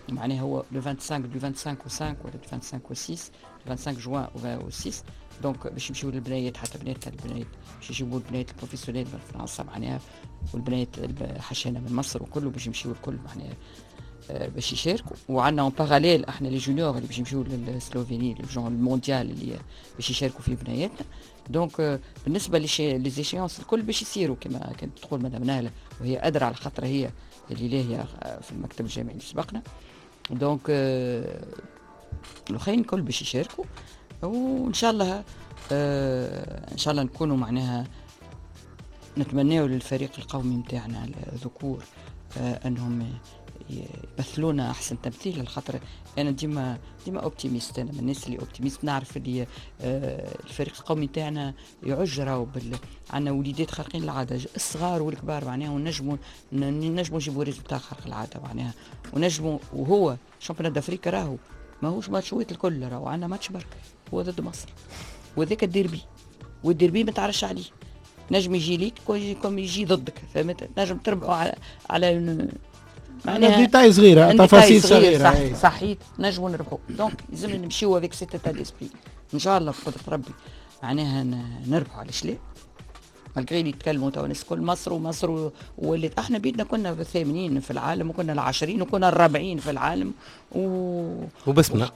معناها هو le 25 du 25 و 5 ولا 25 و 6 25 جوان و 6. donc باش يمشيو للبنيات، حتى بنات البنات باش يجيبوا البنات ال professionnelles من فرنسا معناها، والبنات حشانه من مصر وكله باش يمشيو الكل معناها باش يشاركوا. وعندنا en parallèle احنا les juniors اللي باش يمشيو للسلوفيني les jeunes المونديال اللي باش يشاركوا فيه بنياتنا. donc بالنسبة les échéances الكل باش يصيروا كما كانت تقول مدام نهله، وهي ادرى على خاطر هي اللي لاهية في المكتب الجامعي اللي سبقنا. donc الاخرين الكل باش يشاركوا، وان شاء الله ان شاء الله نكونوا معناها نتمناو للفريق القومي نتاعنا الذكور انهم يمثلونا احسن تمثيل. الخاطر انا ديما optimiste، انا من الناس اللي optimiste، نعرف اللي الفريق القومي تاعنا يعج راهو عندنا وليدات خارقين العادة، الصغار والكبار معناها، ونجموا نجيبوا résultat خارق العادة معناها، ونجموا. وهو championnat d'Afrique راهو ماهوش ماتشوات الكل، راهو عندنا ماتش برك هو ضد مصر، وذاك الديربي، والديربي ما تعرفش عليه، نجم يجي ليك كم يجي ضدك، فهمت؟ نجم تربحوا على معناها détails صغيرة، تفاصيل صغيرة، صحيت نجموا نربحوا. donc لازم نمشيو avec cet état d'esprit ان شاء الله بقدره ربي معناها نربحوا. علاش لا؟ malgré اللي يتكلموا تو الناس الكل مصر ومصر ولات، احنا بيدنا كنا الثامنين في العالم وكنا العشرين وكنا الرابعين في العالم وبسمنا.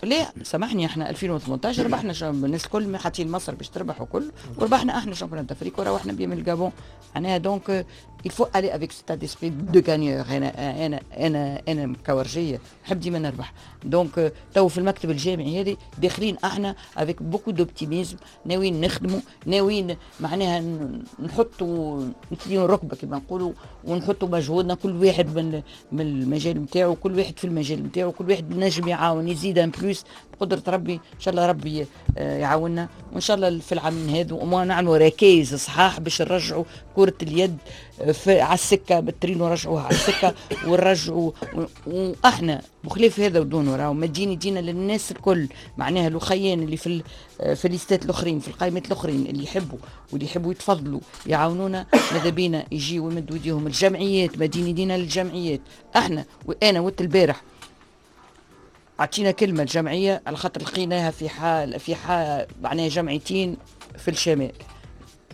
لا سامحني، احنا 2018 ربحنا، الناس الكل حاطين مصر باش تربح وكل، وربحنا احنا championnat d'Afrique وروحنا بيه من الجابون معناها. donc il faut aller avec cet état d'esprit de gagneur. انا انا انا انا مكورجيه نحب ديما نربح. donc تو في المكتب الجامعي هذه داخلين احنا avec beaucoup d'optimisme، ناويين نخدموا، ناويين معناها نحطوا نثنيو الركبة كما نقولوا، ونحطوا مجهودنا كل واحد من المجال نتاعو، كل واحد في المجال نتاعو، كل واحد نجم يعاون يزيد un plus بقدره ربي. ان شاء الله ربي يعاوننا، وان شاء الله في العامين هذو وما نعملوا ركائز صحاح باش نرجعوا كره اليد على السكة بالترين، ورجعوها على السكة ونرجعوا. واحنا بخلاف هذا ودونه راهو مدين يدينا للناس الكل معناها الاخيان اللي في الليستات الاخرين، في القائمات الاخرين، اللي يحبوا واللي يحبوا يتفضلوا يعاونونا، ماذا بينا يجيوا ويمدوا يديهم. الجمعيات مدين يدينا للجمعيات. احنا وانا وقت البارح اعطينا كلمة الجمعية على خاطر لقيناها في حال معناها جمعيتين في الشمال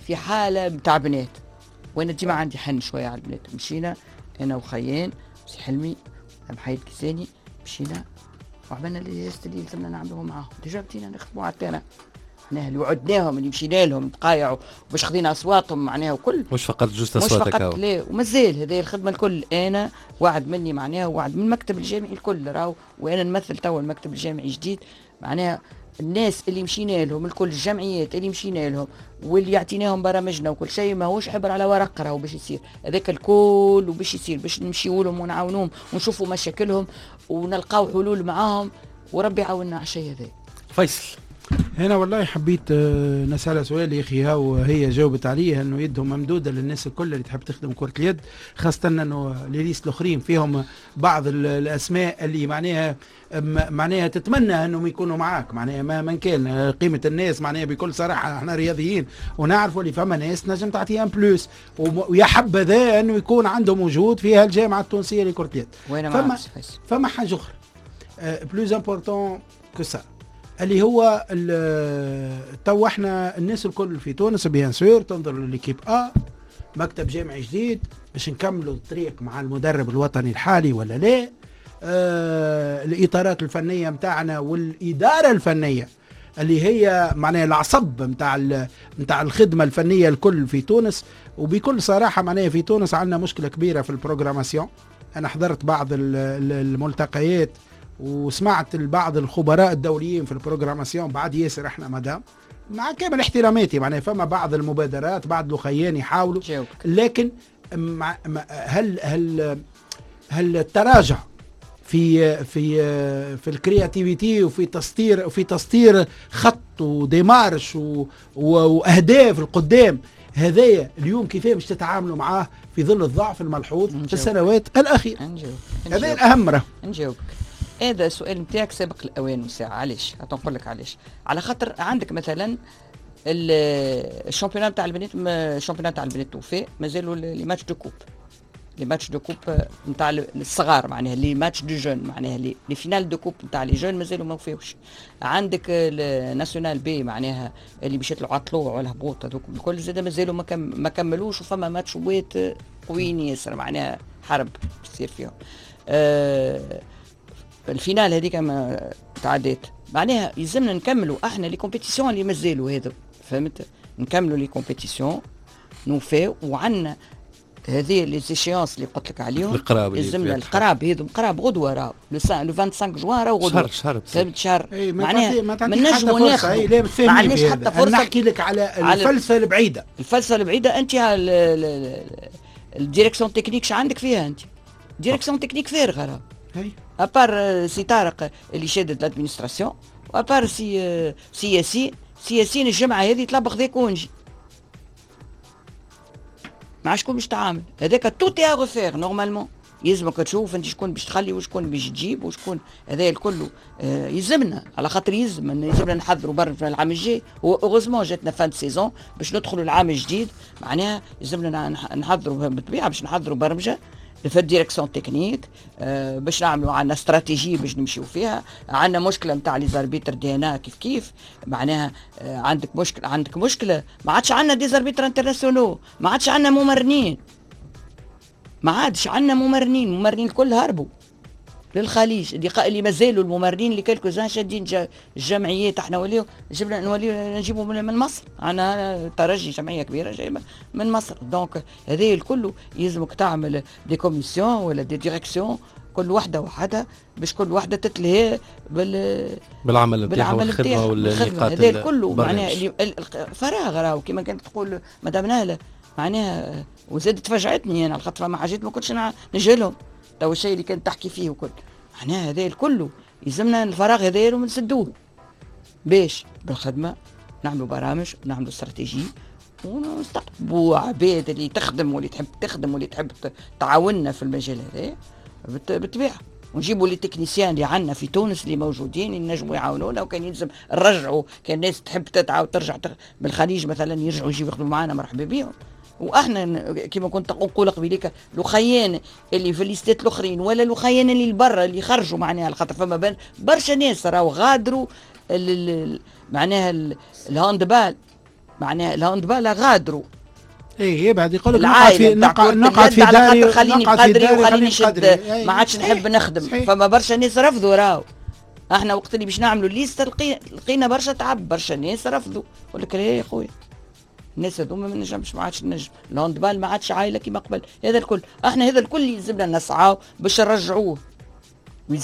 في حاله نتاع بنات، وانا ديما عندي حن شوية على البنات. مشينا انا وخيان سي حلمي محيد كيساني، مشينا وعملنا les gestes اللي لازمنا نعملوهم معاهم. déjà بدينا نخدموا على ال terrain، معناها اللي وعدناهم اللي مشينا لهم دقايع وباش خذينا اصواتهم معناها وكل، مش فقط juste اصواتك، مش فقط لا، ومازال هذه الخدمة الكل. انا وعد مني معناها وعد من المكتب الجامعي الكل راهو، وانا نمثل توا المكتب الجامعي الجديد معناها الناس اللي مشينا لهم الكل، الجمعيات اللي مشينا لهم واللي يعطيناهم برامجنا وكل شيء، ماهوش حبر على ورق راهو باش يصير هذاك الكل، وباش يصير باش نمشيو لهم ونعاونوهم ونشوفوا مشاكلهم ونلقاو حلول معاهم، وربي يعاوننا على الشيء هذا. فيصل هنا والله حبيت نسألها سؤال يا اخي، هاو هي جاوبت عليه انه يدهم ممدوده للناس الكل اللي تحب تخدم كره اليد، خاصة انه les listes الاخرين فيهم بعض الاسماء اللي معناها تتمنى انهم يكونوا معاك، معناها ما كان قيمة الناس، معناها بكل صراحة احنا رياضيين ونعرفوا اللي فما ناس نجم تعطيهم plus، ويا حبذا انه يكون عندهم وجود في الجامعة التونسية لكرة اليد. فما حاجة اخرى plus important que ça اللي هو تو احنا الناس الكل في تونس bien sûr تنظر ل l'équipe A، مكتب جامعي جديد باش نكملوا الطريق مع المدرب الوطني الحالي ولا لا، الاطارات الفنية متاعنا والادارة الفنية اللي هي معناها العصب متاع الخدمة الفنية الكل في تونس. وبكل صراحة معناها في تونس عندنا مشكلة كبيرة في ال programmation. انا حضرت بعض الملتقيات وسمعت البعض الخبراء الدوليين في ال programmation بعد ياسر احنا مدام مع كامل احتراماتي معناها فما بعض المبادرات بعض الاخيان يحاولوا، لكن هل هل هل التراجع في في في ال créativité وفي تسطير خط و démarche واهداف القدام هذايا اليوم كيفاش باش تتعاملوا معاه في ظل الضعف الملحوظ في السنوات الاخيرة؟ هذا الاهم. راه نجاوبك هذا السؤال نتاعك سابق الاوان وساعة. علاش؟ نقول لك علاش. على خاطر عندك مثلا ال championnat تاع البنات، ال championnat تاع البنات توفي، مازالوا les matchs de coupe، les matchs de coupe نتاع الصغار معناها les matchs de jeunes معناها les finales de coupe نتاع les jeunes مازالوا ما وفاوش. عندك ال nationale B معناها اللي باش يطلعوا على الطلوع ولا الهبوط هذوك الكل زاد مازالوا ما كملوش، وفما ماتشوات قويين ياسر معناها حرب تصير فيهم. ال finale هذيك ما تعديت معناها يلزمنا نكملوا احنا les compétitions اللي مازالوا هذا، فهمت؟ نكملوا les compétitions نوفاو، وعندنا هذه les échéances اللي قلت لك عليهم القراب، يلزمنا القراب هذو قراب غدوه راهو le 25 جوان راهو غدوه شهر فهمت شهر معناها ما نجموا ناخذوا، ما عندناش حتى فرصة. نحكي لك على الفلسفة البعيدة، الفلسفة البعيدة انت ال direction technique عندك فيها انت direction technique فارغة راهو، à part سي طارق اللي شادد l'administration، و à part سي ياسين، سي ياسين الجمعة هذه طلب خذا congé مع شكون باش تعامل هذاك tout est à refaire normalement. يلزمك تشوف انت شكون باش تخلي وشكون باش تجيب وشكون هذا الكل. يلزمنا على خاطر يلزمنا نحضروا برا في العام الجاي. هو heureusement جاتنا fin saison باش ندخلوا العام الجديد معناها يلزمنا نحضروا بالطبيعة باش نحضروا برمجة في ال direction technique، باش نعملوا عندنا استراتيجية باش نمشيو فيها. عندنا مشكلة نتاع les arbitres دينا كيف كيف معناها، عندك مشكلة، عندك مشكلة ما عادش عندنا des arbitres internationaux، ما عادش عندنا ممرنين، ما عادش عندنا ممرنين، الممرنين الكل هربوا للخليج. اللي مازالوا الممرنين اللي quelques-uns شادين الجمعيات، احنا وليو جبنا نوليو نجيبوا من مصر، عندنا ترجي جمعية كبيرة جايبه من مصر. donc هذا الكل يلزمك تعمل des commissions ولا des directions كل وحده وحدها باش كل وحده تتلهي بالعمل نتاعها والخدمة والنقاط. هذا الكل معناها فراغ راهو كما كانت تقول مدام نهله معناها، وزادت فجعتني انا على خاطر فما حاجات ما كنتش نجهلهم تو الشيء اللي كانت تحكي فيه وكل. معناها هذا الكل يلزمنا الفراغ هذا ونسدوه باش بالخدمة نعملوا برامج ونعملوا استراتيجية ونستقطبوا عباد اللي تخدم واللي تحب تخدم واللي تحب تعاوننا في المجال هذا بالطبيعة، ونجيبوا les techniciens اللي عندنا في تونس اللي موجودين اللي نجموا يعاونونا، وكان يلزم نرجعوا كان الناس تحب تتعاون ترجع من الخليج مثلا يرجعوا يجيو يخدموا معنا مرحبا بهم. واحنا كما كنت نقول قبيليك الخيان اللي في الليستات الاخرين ولا الخيان اللي برا اللي خرجوا معناها، على خاطر فما برشا ناس راهو غادروا معناها ال handball، معناها ال handball غادروا. اي يبعد يقول لك نقعد في داري، خليني بقدري وخليني نشد، ما عادش نحب نخدم. فما برشا ناس رفضوا راهو. احنا وقت اللي باش نعملوا liste لقينا برشا تعب، برشا ناس رفضوا، يقول لك يا خويا الناس هذوما ما نجمش، ما عادش نجم، ال handball ما عادش عائلة كيما قبل. هذا الكل احنا هذا الكل يلزمنا نسعاو باش نرجعوه،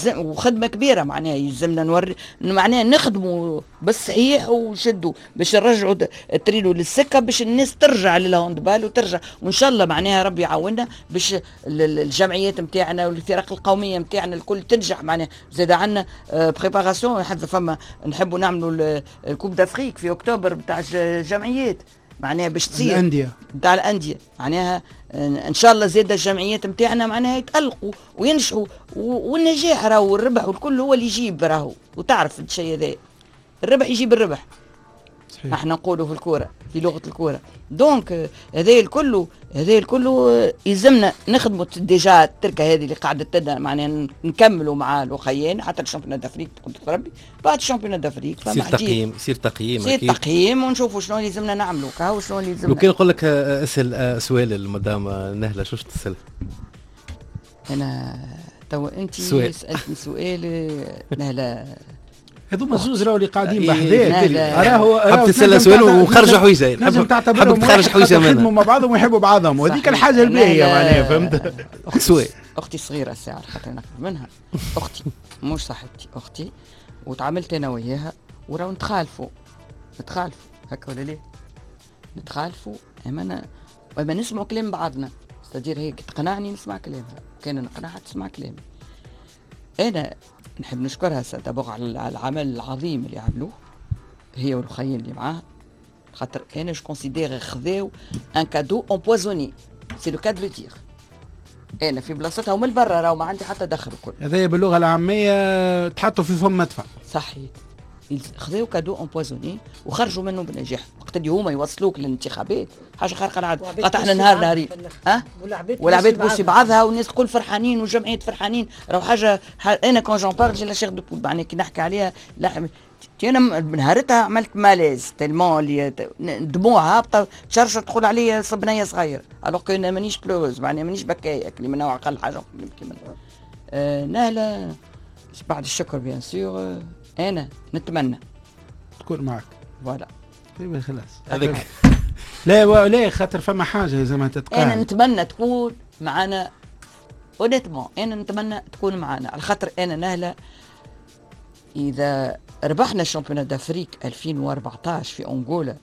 وخدمه كبيرة معناها يلزمنا نوري معناها نخدموا بالصحيح ونشدوا باش نرجعوا التريلو للسكه، باش الناس ترجع لل handball وترجع، وان شاء الله معناها ربي يعاوننا باش الجمعيات نتاعنا والفرق القومية نتاعنا الكل تنجح. معناها زاد عندنا préparation، حتى فما نحبوا نعملوا ال coupe d'Afrique في اكتوبر نتاع الجمعيات، معناها باش تصير الاندية نتاع الاندية، معناها ان شاء الله زاد الجمعيات نتاعنا معناها يتالقوا وينجحوا، والنجاح راهو والربح والكل هو اللي يجيب راهو، وتعرف الشيء هذا الربح يجيب الربح. صحيح. احنا نقولوا في الكورة، في لغة الكورة. donc هذا الكل، هذا الكل يلزمنا نخدموا déjà التركة هذه اللي قاعدة تدنا، معناها نكملوا مع الاخيين حتى ال championnat d'Afrique قدرة ربي، بعد ال championnat d'Afrique يصير تقييم، يصير تقييم، يصير تقييم ونشوفوا شنو اللي لازمنا نعملوا، كاو شنو اللي لازمنا. لو كان نقول لك اسال سؤال المدام نهله، شو تسال؟ انا تو انت سالتني سؤال نهله، هذوما زوز راهو اللي قاعدين بحذاك، راهو حاب تسال سؤال وخرجوا حويجه، نجم تعتبرهم تخرج حويجه منها، يخدموا مع بعضهم ويحبوا بعضهم، وهذيك الحاجة الباهيه معناها، فهمت؟ سؤال اختي صغيرة الساعة خاطر ناخذ منها، اختي مش صاحبتي، اختي، وتعاملت انا وياها وراو نتخالفوا هكا ولا ليه؟ نتخالفوا اما نسمعوا كلام بعضنا، c'est-à-dire هيك تقنعني نسمع كلامها، كان نقنعها تسمع كلامي. انا نحب نشكرها d'abord على العمل العظيم اللي عملوه هي والخيين اللي معاها، خاطر انا je considère خذاو un cadeau empoisonné، c'est le cas de le dire. انا في بلاصتها ومن برا راهو ما عندي حتى دخل الكل. هذايا باللغة العامية تحطوا في فم مدفع. صحيح، خذاو cadeau empoisonné وخرجوا منه بنجاح. وقت اللي هما يوصلوك للانتخابات حاجة خارقة العادة، قطعنا نهار نهارين والعباد بوسي بعضها والناس الكل فرحانين والجمعيات فرحانين، راهو حاجة انا quand j'en parle j'ai la chair de poule، معناها كي نحكي عليها لا انا نهارتها عملت malaise tellement اللي دموع هابطة تشرشر تقول عليا صبنيه صغير، alors que انا مانيش pleureuse، معناها مانيش بكايه اللي من نوع اقل حاجة نبكي منها. نهله بعد الشكر bien sûr، انا نتمنى تكون معك voilà خلاص هذاك. لا لا خاطر فما حاجة زي ما تتقال، انا نتمنى تكون معنا honnêtement، انا نتمنى تكون معنا على خاطر انا نهله اذا ربحنا ال championnat d'Afrique 2014 في انغولا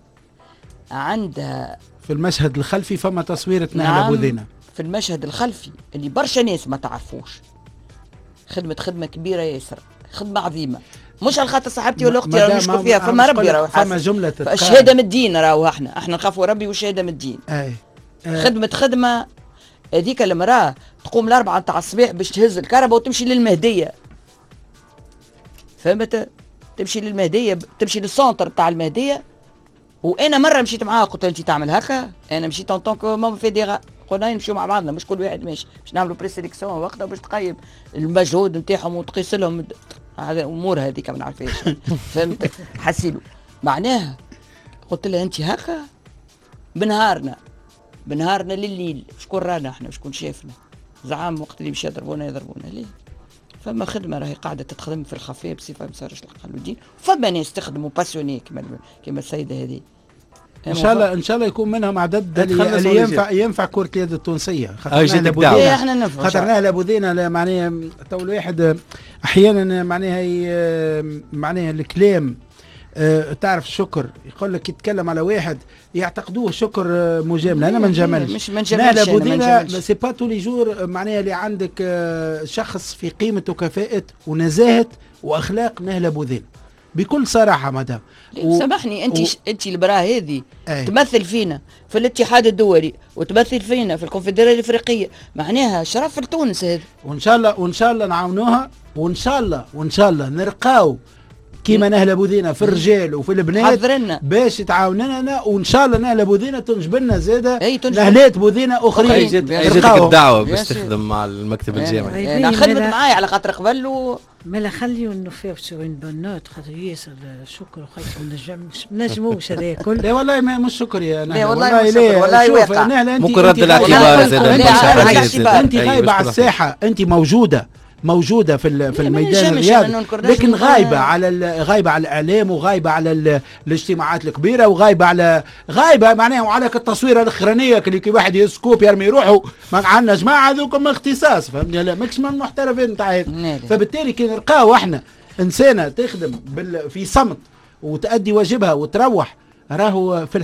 عندها في المشهد الخلفي فما تصويره نهله بوذينه في المشهد الخلفي اللي برشا ناس ما تعرفوش، خدمة كبيرة ياسر، خدمة عظيمة، مش على خاطر صاحبتي ولا اختي راه نشكر فيها، فما ربي راهو فما جملة الشهادة من الدين، راهو احنا نخافوا ربي والشهادة من الدين. اي خدمة هذيك المراة تقوم الاربعة نتاع الصباح باش تهز الكهرباء وتمشي للمهديه، فهمت؟ تمشي للمهديه، تمشي لل centre تاع المهدية. وانا مرة مشيت معاها قلت لها انت تعمل هكا، انا مشيت en tant que membre fédéral، قلنا نمشيو مع بعضنا مش كل واحد ماشي، باش نعملوا présélection وقتها باش تقيم المجهود نتاعهم وتقيس لهم هذا الامور هذيك ما نعرفهاش، فهمت؟ حسيلو معناها قلت لها انت هكا بنهارنا لليل، شكون رانا احنا شكون شافنا؟ زعام وقت اللي باش يضربونا يضربونا ليه؟ فما خدمة راهي قاعدة تتخدم في الخفية بصفة ما صارش العقل والدين، فما ناس تخدموا passionnés كما السيدة هذه. ان شاء الله ان شاء الله يكون منهم عدد اللي ينفع كره اليد التونسية، خاطر نهله بوذينه معناها تو الواحد احيانا معناها الكلام تعرف شكر يقول لك يتكلم على واحد يعتقدوه شكر مجاملة، انا ما نجاملش، نهله بوذينه c'est pas tous les jours معناها اللي عندك شخص في قيمة وكفاءة ونزاهه واخلاق نهله بوذينه بكل صراحة. مدام سامحني انت المراة هذه تمثل فينا في الاتحاد الدولي وتمثل فينا في الكونفدراليه الافريقية، معناها شرف لتونس هذا. وان شاء الله وان شاء الله نعاونوها، وان شاء الله وان شاء الله نرقاو كيما نهله بوذينه في الرجال وفي البنات باش تعاوننا، وان شاء الله نهله بوذينه تنجب لنا زاده نهلات بوذينه اخرين. جاتك الدعوة باش تخدم مع المكتب الجامعي؟ انا خدمت معايا على خاطر قبل مالا خليو نوفيو sur une bonne note، خاطر ياسر شكر وخير ما نجموش هذا الكل. لا والله مش شكر يا نهله، والله والله واقع. نهله انت ممكن رد الاعتبار زاد، انت غايبة على الساحة، انت موجودة في الميدان الرياضي، لكن غايبة على غايبة على الاعلام، وغايبه على الاجتماعات الكبيرة، وغايبه على غايبة معناها وعلى التصويره الاخرانية اللي كي واحد يسكوب يرمي روحه. عندنا جماعة هذوكم اختصاص، فهمتني؟ لا ماكش من المحترفين نتاع هذا. فبالتالي كي نلقاو احنا انسانه تخدم في صمت وتأدي واجبها وتروح، راهو في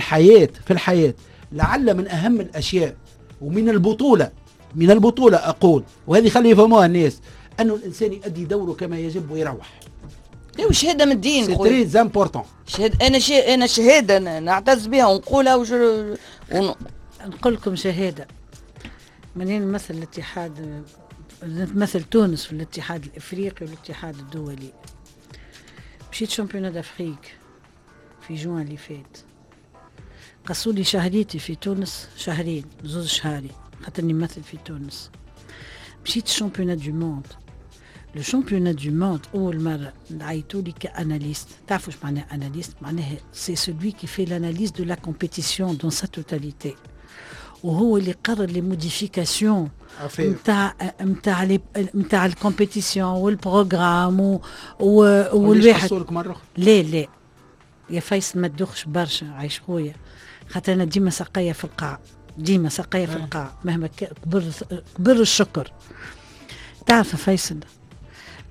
الحياة لعل من اهم الاشياء ومن البطولة اقول، وهذه خلي يفهموها الناس، انه الانسان يؤدي دوره كما يجب ويروح. لا وشهادة من الدين c'est très important. شهادة، انا شهادة نعتز بها ونقولها نقول لكم شهادة منين نمثل الاتحاد، نمثل تونس في الاتحاد الافريقي والاتحاد الدولي. مشيت championnat d'Afrique في جوان اللي فات، قصوا لي شهريتي في تونس شهرين، زوز شهري خاطرني نمثل في تونس. مشيت championnat du monde، le championnat du monde اول مرة عيطوا لي ك analyste. تعرفوا واش معناها analyste؟ معناها c'est celui qui fait l'analyse de la compétition dans sa totalité، وهو اللي قرر les modifications نتاع نتاع نتاع ال compétition وال programme والواحد. لا لا يا فيصل ما تدوخش برشا عايش خويا، خاطر انا ديما سقاية في القاع، ديما سقاية في القاع مهما كبر الشكر. تعرف فيصل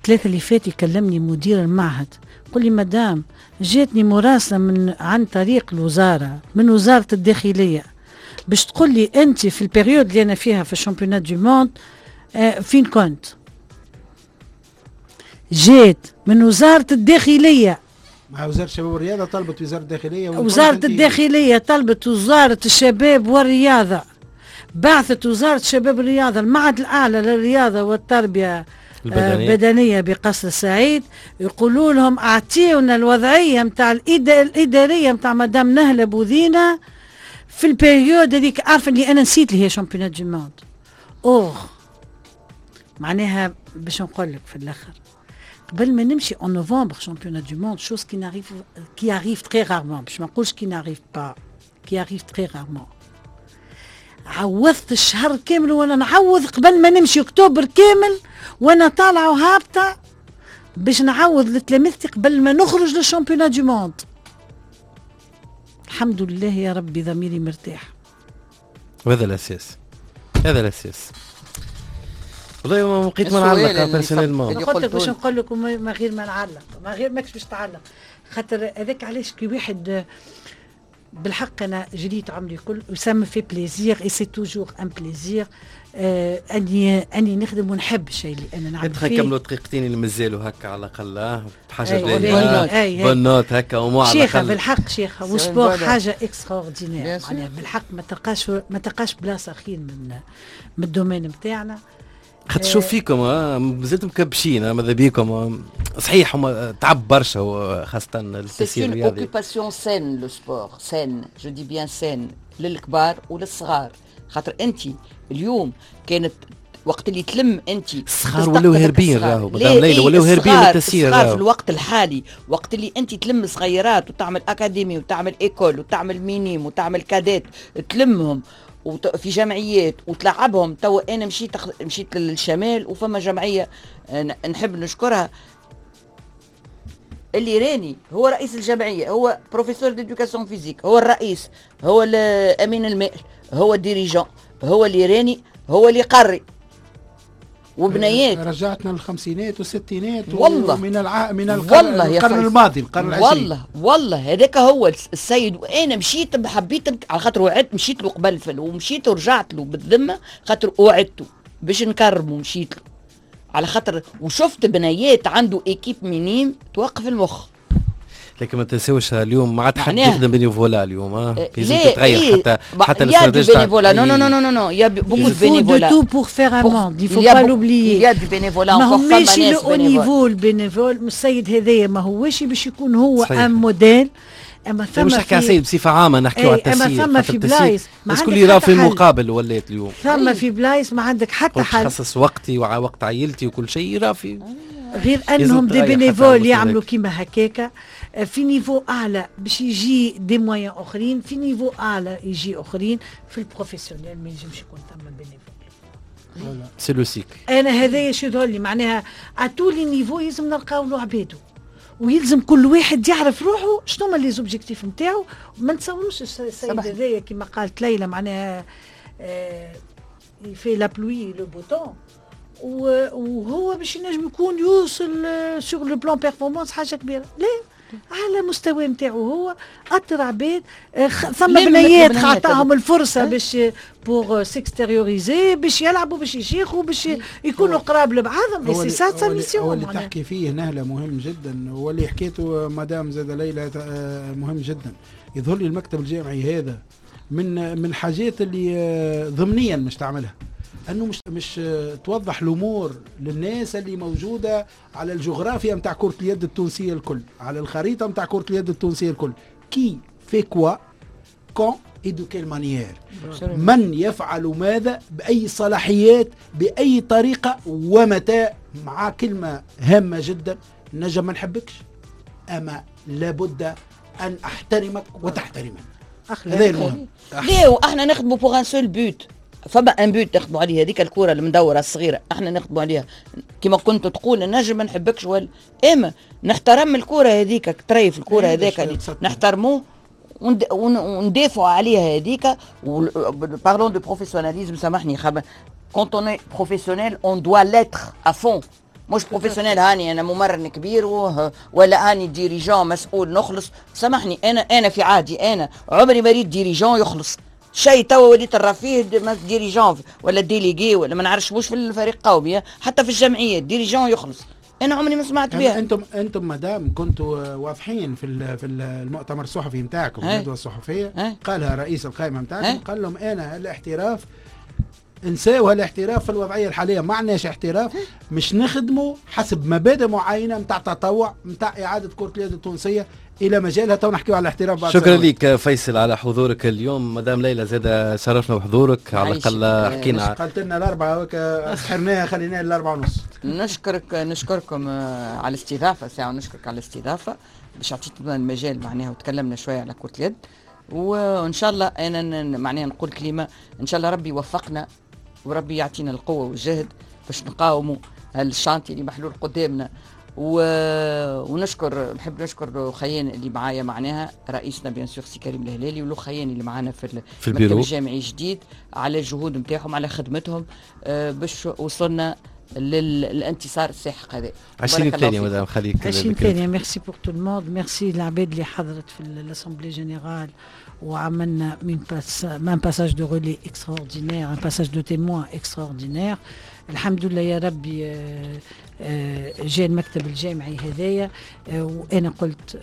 ثلاثة اللي فات يكلمني مدير المعهد قل لي مدام جاتني مراسلة من عن طريق الوزارة من وزارة الداخلية باش تقول لي أنت في ال période اللي أنا فيها في ال championnat du monde فين كنت؟ جات من وزارة الداخلية. مع وزارة الشباب والرياضة طلبت وزارة الداخلية، وزارة الداخلية طلبت وزارة الشباب والرياضة، بعثت وزارة الشباب والرياضة المعهد الأعلى للرياضة والتربية البدنية بقصر السعيد، يقولوا لهم أعطيونا الوضعية متاع الإدارية متاع مدام نهلة بوذينة في ال période هذيك. عارفة اللي أنا نسيت اللي هي championnat du monde. أوه معناها باش نقول لك في الآخر قبل ما نمشي en novembre championnat du monde, chose qui arrive très rarement, باش ما نقولش qui n'arrive pas, qui arrive très rarement. عوضت الشهر كامل وانا نعوض قبل ما نمشي اكتوبر كامل وانا طالعه وهابطه باش نعوض لتلامذتي قبل ما نخرج لل championnat du monde. الحمد لله يا ربي ضميري مرتاح. وهذا الاساس، هذا الاساس. والله ما لقيت ما نعلق personnellement. قلت لك باش نقول لك ما غير ما نعلق، ما غير ماكش باش تعلق، خاطر هذاك علاش كي واحد بالحق انا جريت عمري كل و ça me fait plaisir et c'est toujours un plaisir اني نخدم ونحب الشيء اللي انا نعمل فيه. نكملوا دقيقتين اللي مازالوا هكا على الاقل بحاجة باهيه bonne note هكا ومو على الاقل. شيخه بالحق شيخه و sport حاجة extraordinaire معناها بالحق ما تلقاش بلاصة خير من ال domaine نتاعنا. خاطر شوف فيكم مازلتم مكبشين ماذا بيكم. صحيح هما تعب برشا خاصة التسيير الرياضي. c'est une occupation saine le sport، saine je dis bien saine للكبار وللصغار. خاطر انت اليوم كانت وقت اللي تلم انت الصغار ولاو هاربين، راهو مدام ليلى ولاو هاربين من التسيير. الصغار في الوقت الحالي وقت اللي انت تلم صغيرات وتعمل académie وتعمل école وتعمل minimes وتعمل cadets، تلمهم في جمعيات وتلعبهم. تو انا مشيت للشمال وفما جمعية نحب نشكرها اللي راني هو رئيس الجمعية، هو professeur d'éducation physique، هو الرئيس، هو الامين المال، هو ال dirigeant، هو اللي راني، هو اللي قري وبنيات. رجعتنا للخمسينات والستينات والله من من القرن الماضي، القرن العشرين. والله هذاك هو السيد. وانا مشيت حبيت على خاطر وعدت، مشيت له قبل فل ومشيت ورجعت له بالذمه خاطر وعدته باش نكرمه، مشيت له على خاطر وشفت بنيات عنده équipe minimes توقف المخ. لكن ما تنساوش اليوم ما عاد حد يخدم bénévolat اليوم، لازم تتغير حتى الاستراتيجية. bénévolat non non non non non, il y a beaucoup de bénévolat. Tout pour faire un monde, il faut pas l'oublier. Il y a du bénévolat encore. ماهوش le haut niveau ال bénévole السيد هذايا ماهوش باش يكون هو un modèle. اما ثم مش نحكي على السيد بصفة عامة، نحكيو على التسيير. اما ثم في بلايص ما الكل يرى في المقابل ولات اليوم ثم في بلايص ما عندك حتى حل. تخصص وقتي ووقت عائلتي وكل شيء يرى في غير انهم des bénévoles يعملوا كيما هكاكا في niveau اعلى باش يجي des moyens اخرين، في niveau اعلى يجي اخرين. في ال professionnel ما ينجمش يكون ثم bénévole، c'est le cycle. انا هذايا شو يظهر لي معناها à tous les niveaux لازم نلقاو له عبادو، ويلزم كل واحد يعرف روحه شنو هما les objectifs نتاعو. ما نتصوروش السيد هذايا كيما قالت ليلى معناها في la pluie le beau temps، وهو باش ينجم يكون يوصل sur le plan performance حاجة كبيرة. لا، على مستوى نتاعو هو اطر عباد، ثم بنيات عطاهم الفرصة باش pour s'extérioriser، باش يلعبوا، باش يشيخوا، باش يكونوا قراب لبعضهم. c'est ça sa mission. هو اللي تحكي فيه نهله مهم جدا، واللي حكيته مدام زاد ليلى مهم جدا. يظهر لي المكتب الجامعي هذا من حاجات اللي ضمنيا مش تعملها، انه مش توضح الامور للناس اللي موجودة على الجغرافيا نتاع كره اليد التونسية الكل، على الخريطة نتاع كره اليد التونسية الكل. qui fait quoi quand et de quelle manière، من يفعل ماذا، باي صلاحيات، باي طريقه، ومتى. مع كلمة هامة جدا، نجم ما نحبكش اما لابد ان احترمك وتحترمني. هذا المهم. ليه واحنا نخدموا pour un seul but، فما un but نخدموا عليه، هذيك الكره المدوره الصغيرة احنا نخدموا عليها. كما كنت تقول نجم ما نحبكش ولا اما نحترم الكره هذيك، تريف الكره هذاك نحترموه وندافعوا عليها هذيك. parlons de professionnalisme، سامحني، quand on est professionnel on doit l'être à fond. مش professionnel هاني انا ممرن كبير ولا هاني dirigeant مسؤول نخلص. سامحني انا في عادي انا عمري ما ريت dirigeant يخلص شيء. توا وليت الرفيه dirigeant ولا délégué ولا ما نعرفش، مش في الفريق قومي، حتى في الجمعية dirigeant يخلص. انا عمري ما سمعت بها. انتم مدام كنتوا واضحين في المؤتمر الصحفي نتاعكم، الندوة الصحفية، قالها رئيس القائمة نتاعكم، قال لهم انا الاحتراف انساو الاحتراف في الوضعية الحالية، ما عندناش احتراف، مش نخدموا حسب مبادئ معينة نتاع تطوع، نتاع اعاده كره اليد التونسية الى مجالها. تو نحكيو على الاحتراف بعد. شكرا لك فيصل على حضورك اليوم. مدام ليلى زاد شرفنا بحضورك، على الاقل حكينا. قالت لنا الاربعة سحرناها، خليناها الاربعة ونص. نشكركم على الاستضافة ساعة، ونشكرك على الاستضافة باش عطيتنا المجال معناها وتكلمنا شوية على كره اليد. وان شاء الله انا معناها نقول كلمة، ان شاء الله ربي يوفقنا وربي يعطينا القوة والجهد باش نقاوموا ال chantier اللي محلول قدامنا. ونشكر، نحب نشكر خيان اللي معايا معناها رئيسنا bien sûr سي كريم الهلالي، والخيان اللي معانا في المكتب الجامعي الجديد على الجهود نتاعهم، على خدمتهم باش وصلنا للانتصار الساحق هذا. 20 ثانية مدام خليك. 20 ثانية. merci pour tout le monde، merci العباد اللي حضرت في l'assemblée générale وعملنا un passage de relais extraordinaire، un passage de témoin extraordinaire. الحمد لله يا ربي جاء المكتب الجامعي هذايا. وانا قلت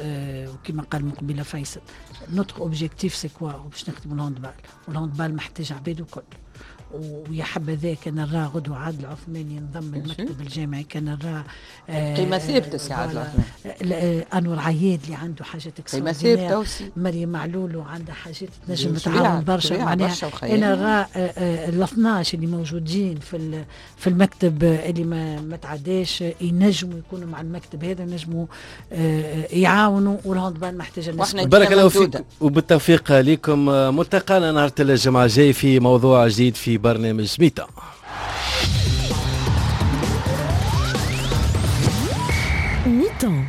وكما قال من قبيلة فيصل، notre objectif c'est quoi؟ باش نخدموا ال handball، وال handball محتاج عباد وكل. ويا حبذا كان نرى غدوة عادل العثماني ينضم المكتب الجامعي، كان نرى قيمة ثابتة سي عادل العثماني، أنور عياد اللي عنده حاجات قيمة ثابتة، مريم معلول وعندها حاجات تنجم تعاون برشا. معناها أنا نرى ال 12 اللي موجودين في المكتب اللي ما تعداش ينجموا يكونوا مع المكتب هذا، ينجموا يعاونوا، وال handball محتاجة الناس. بارك الله فيك وبالتوفيق لكم. ملتقانا نهار الجمعة الجاي في موضوع جديد في برنامج mi-temps. mi-temps.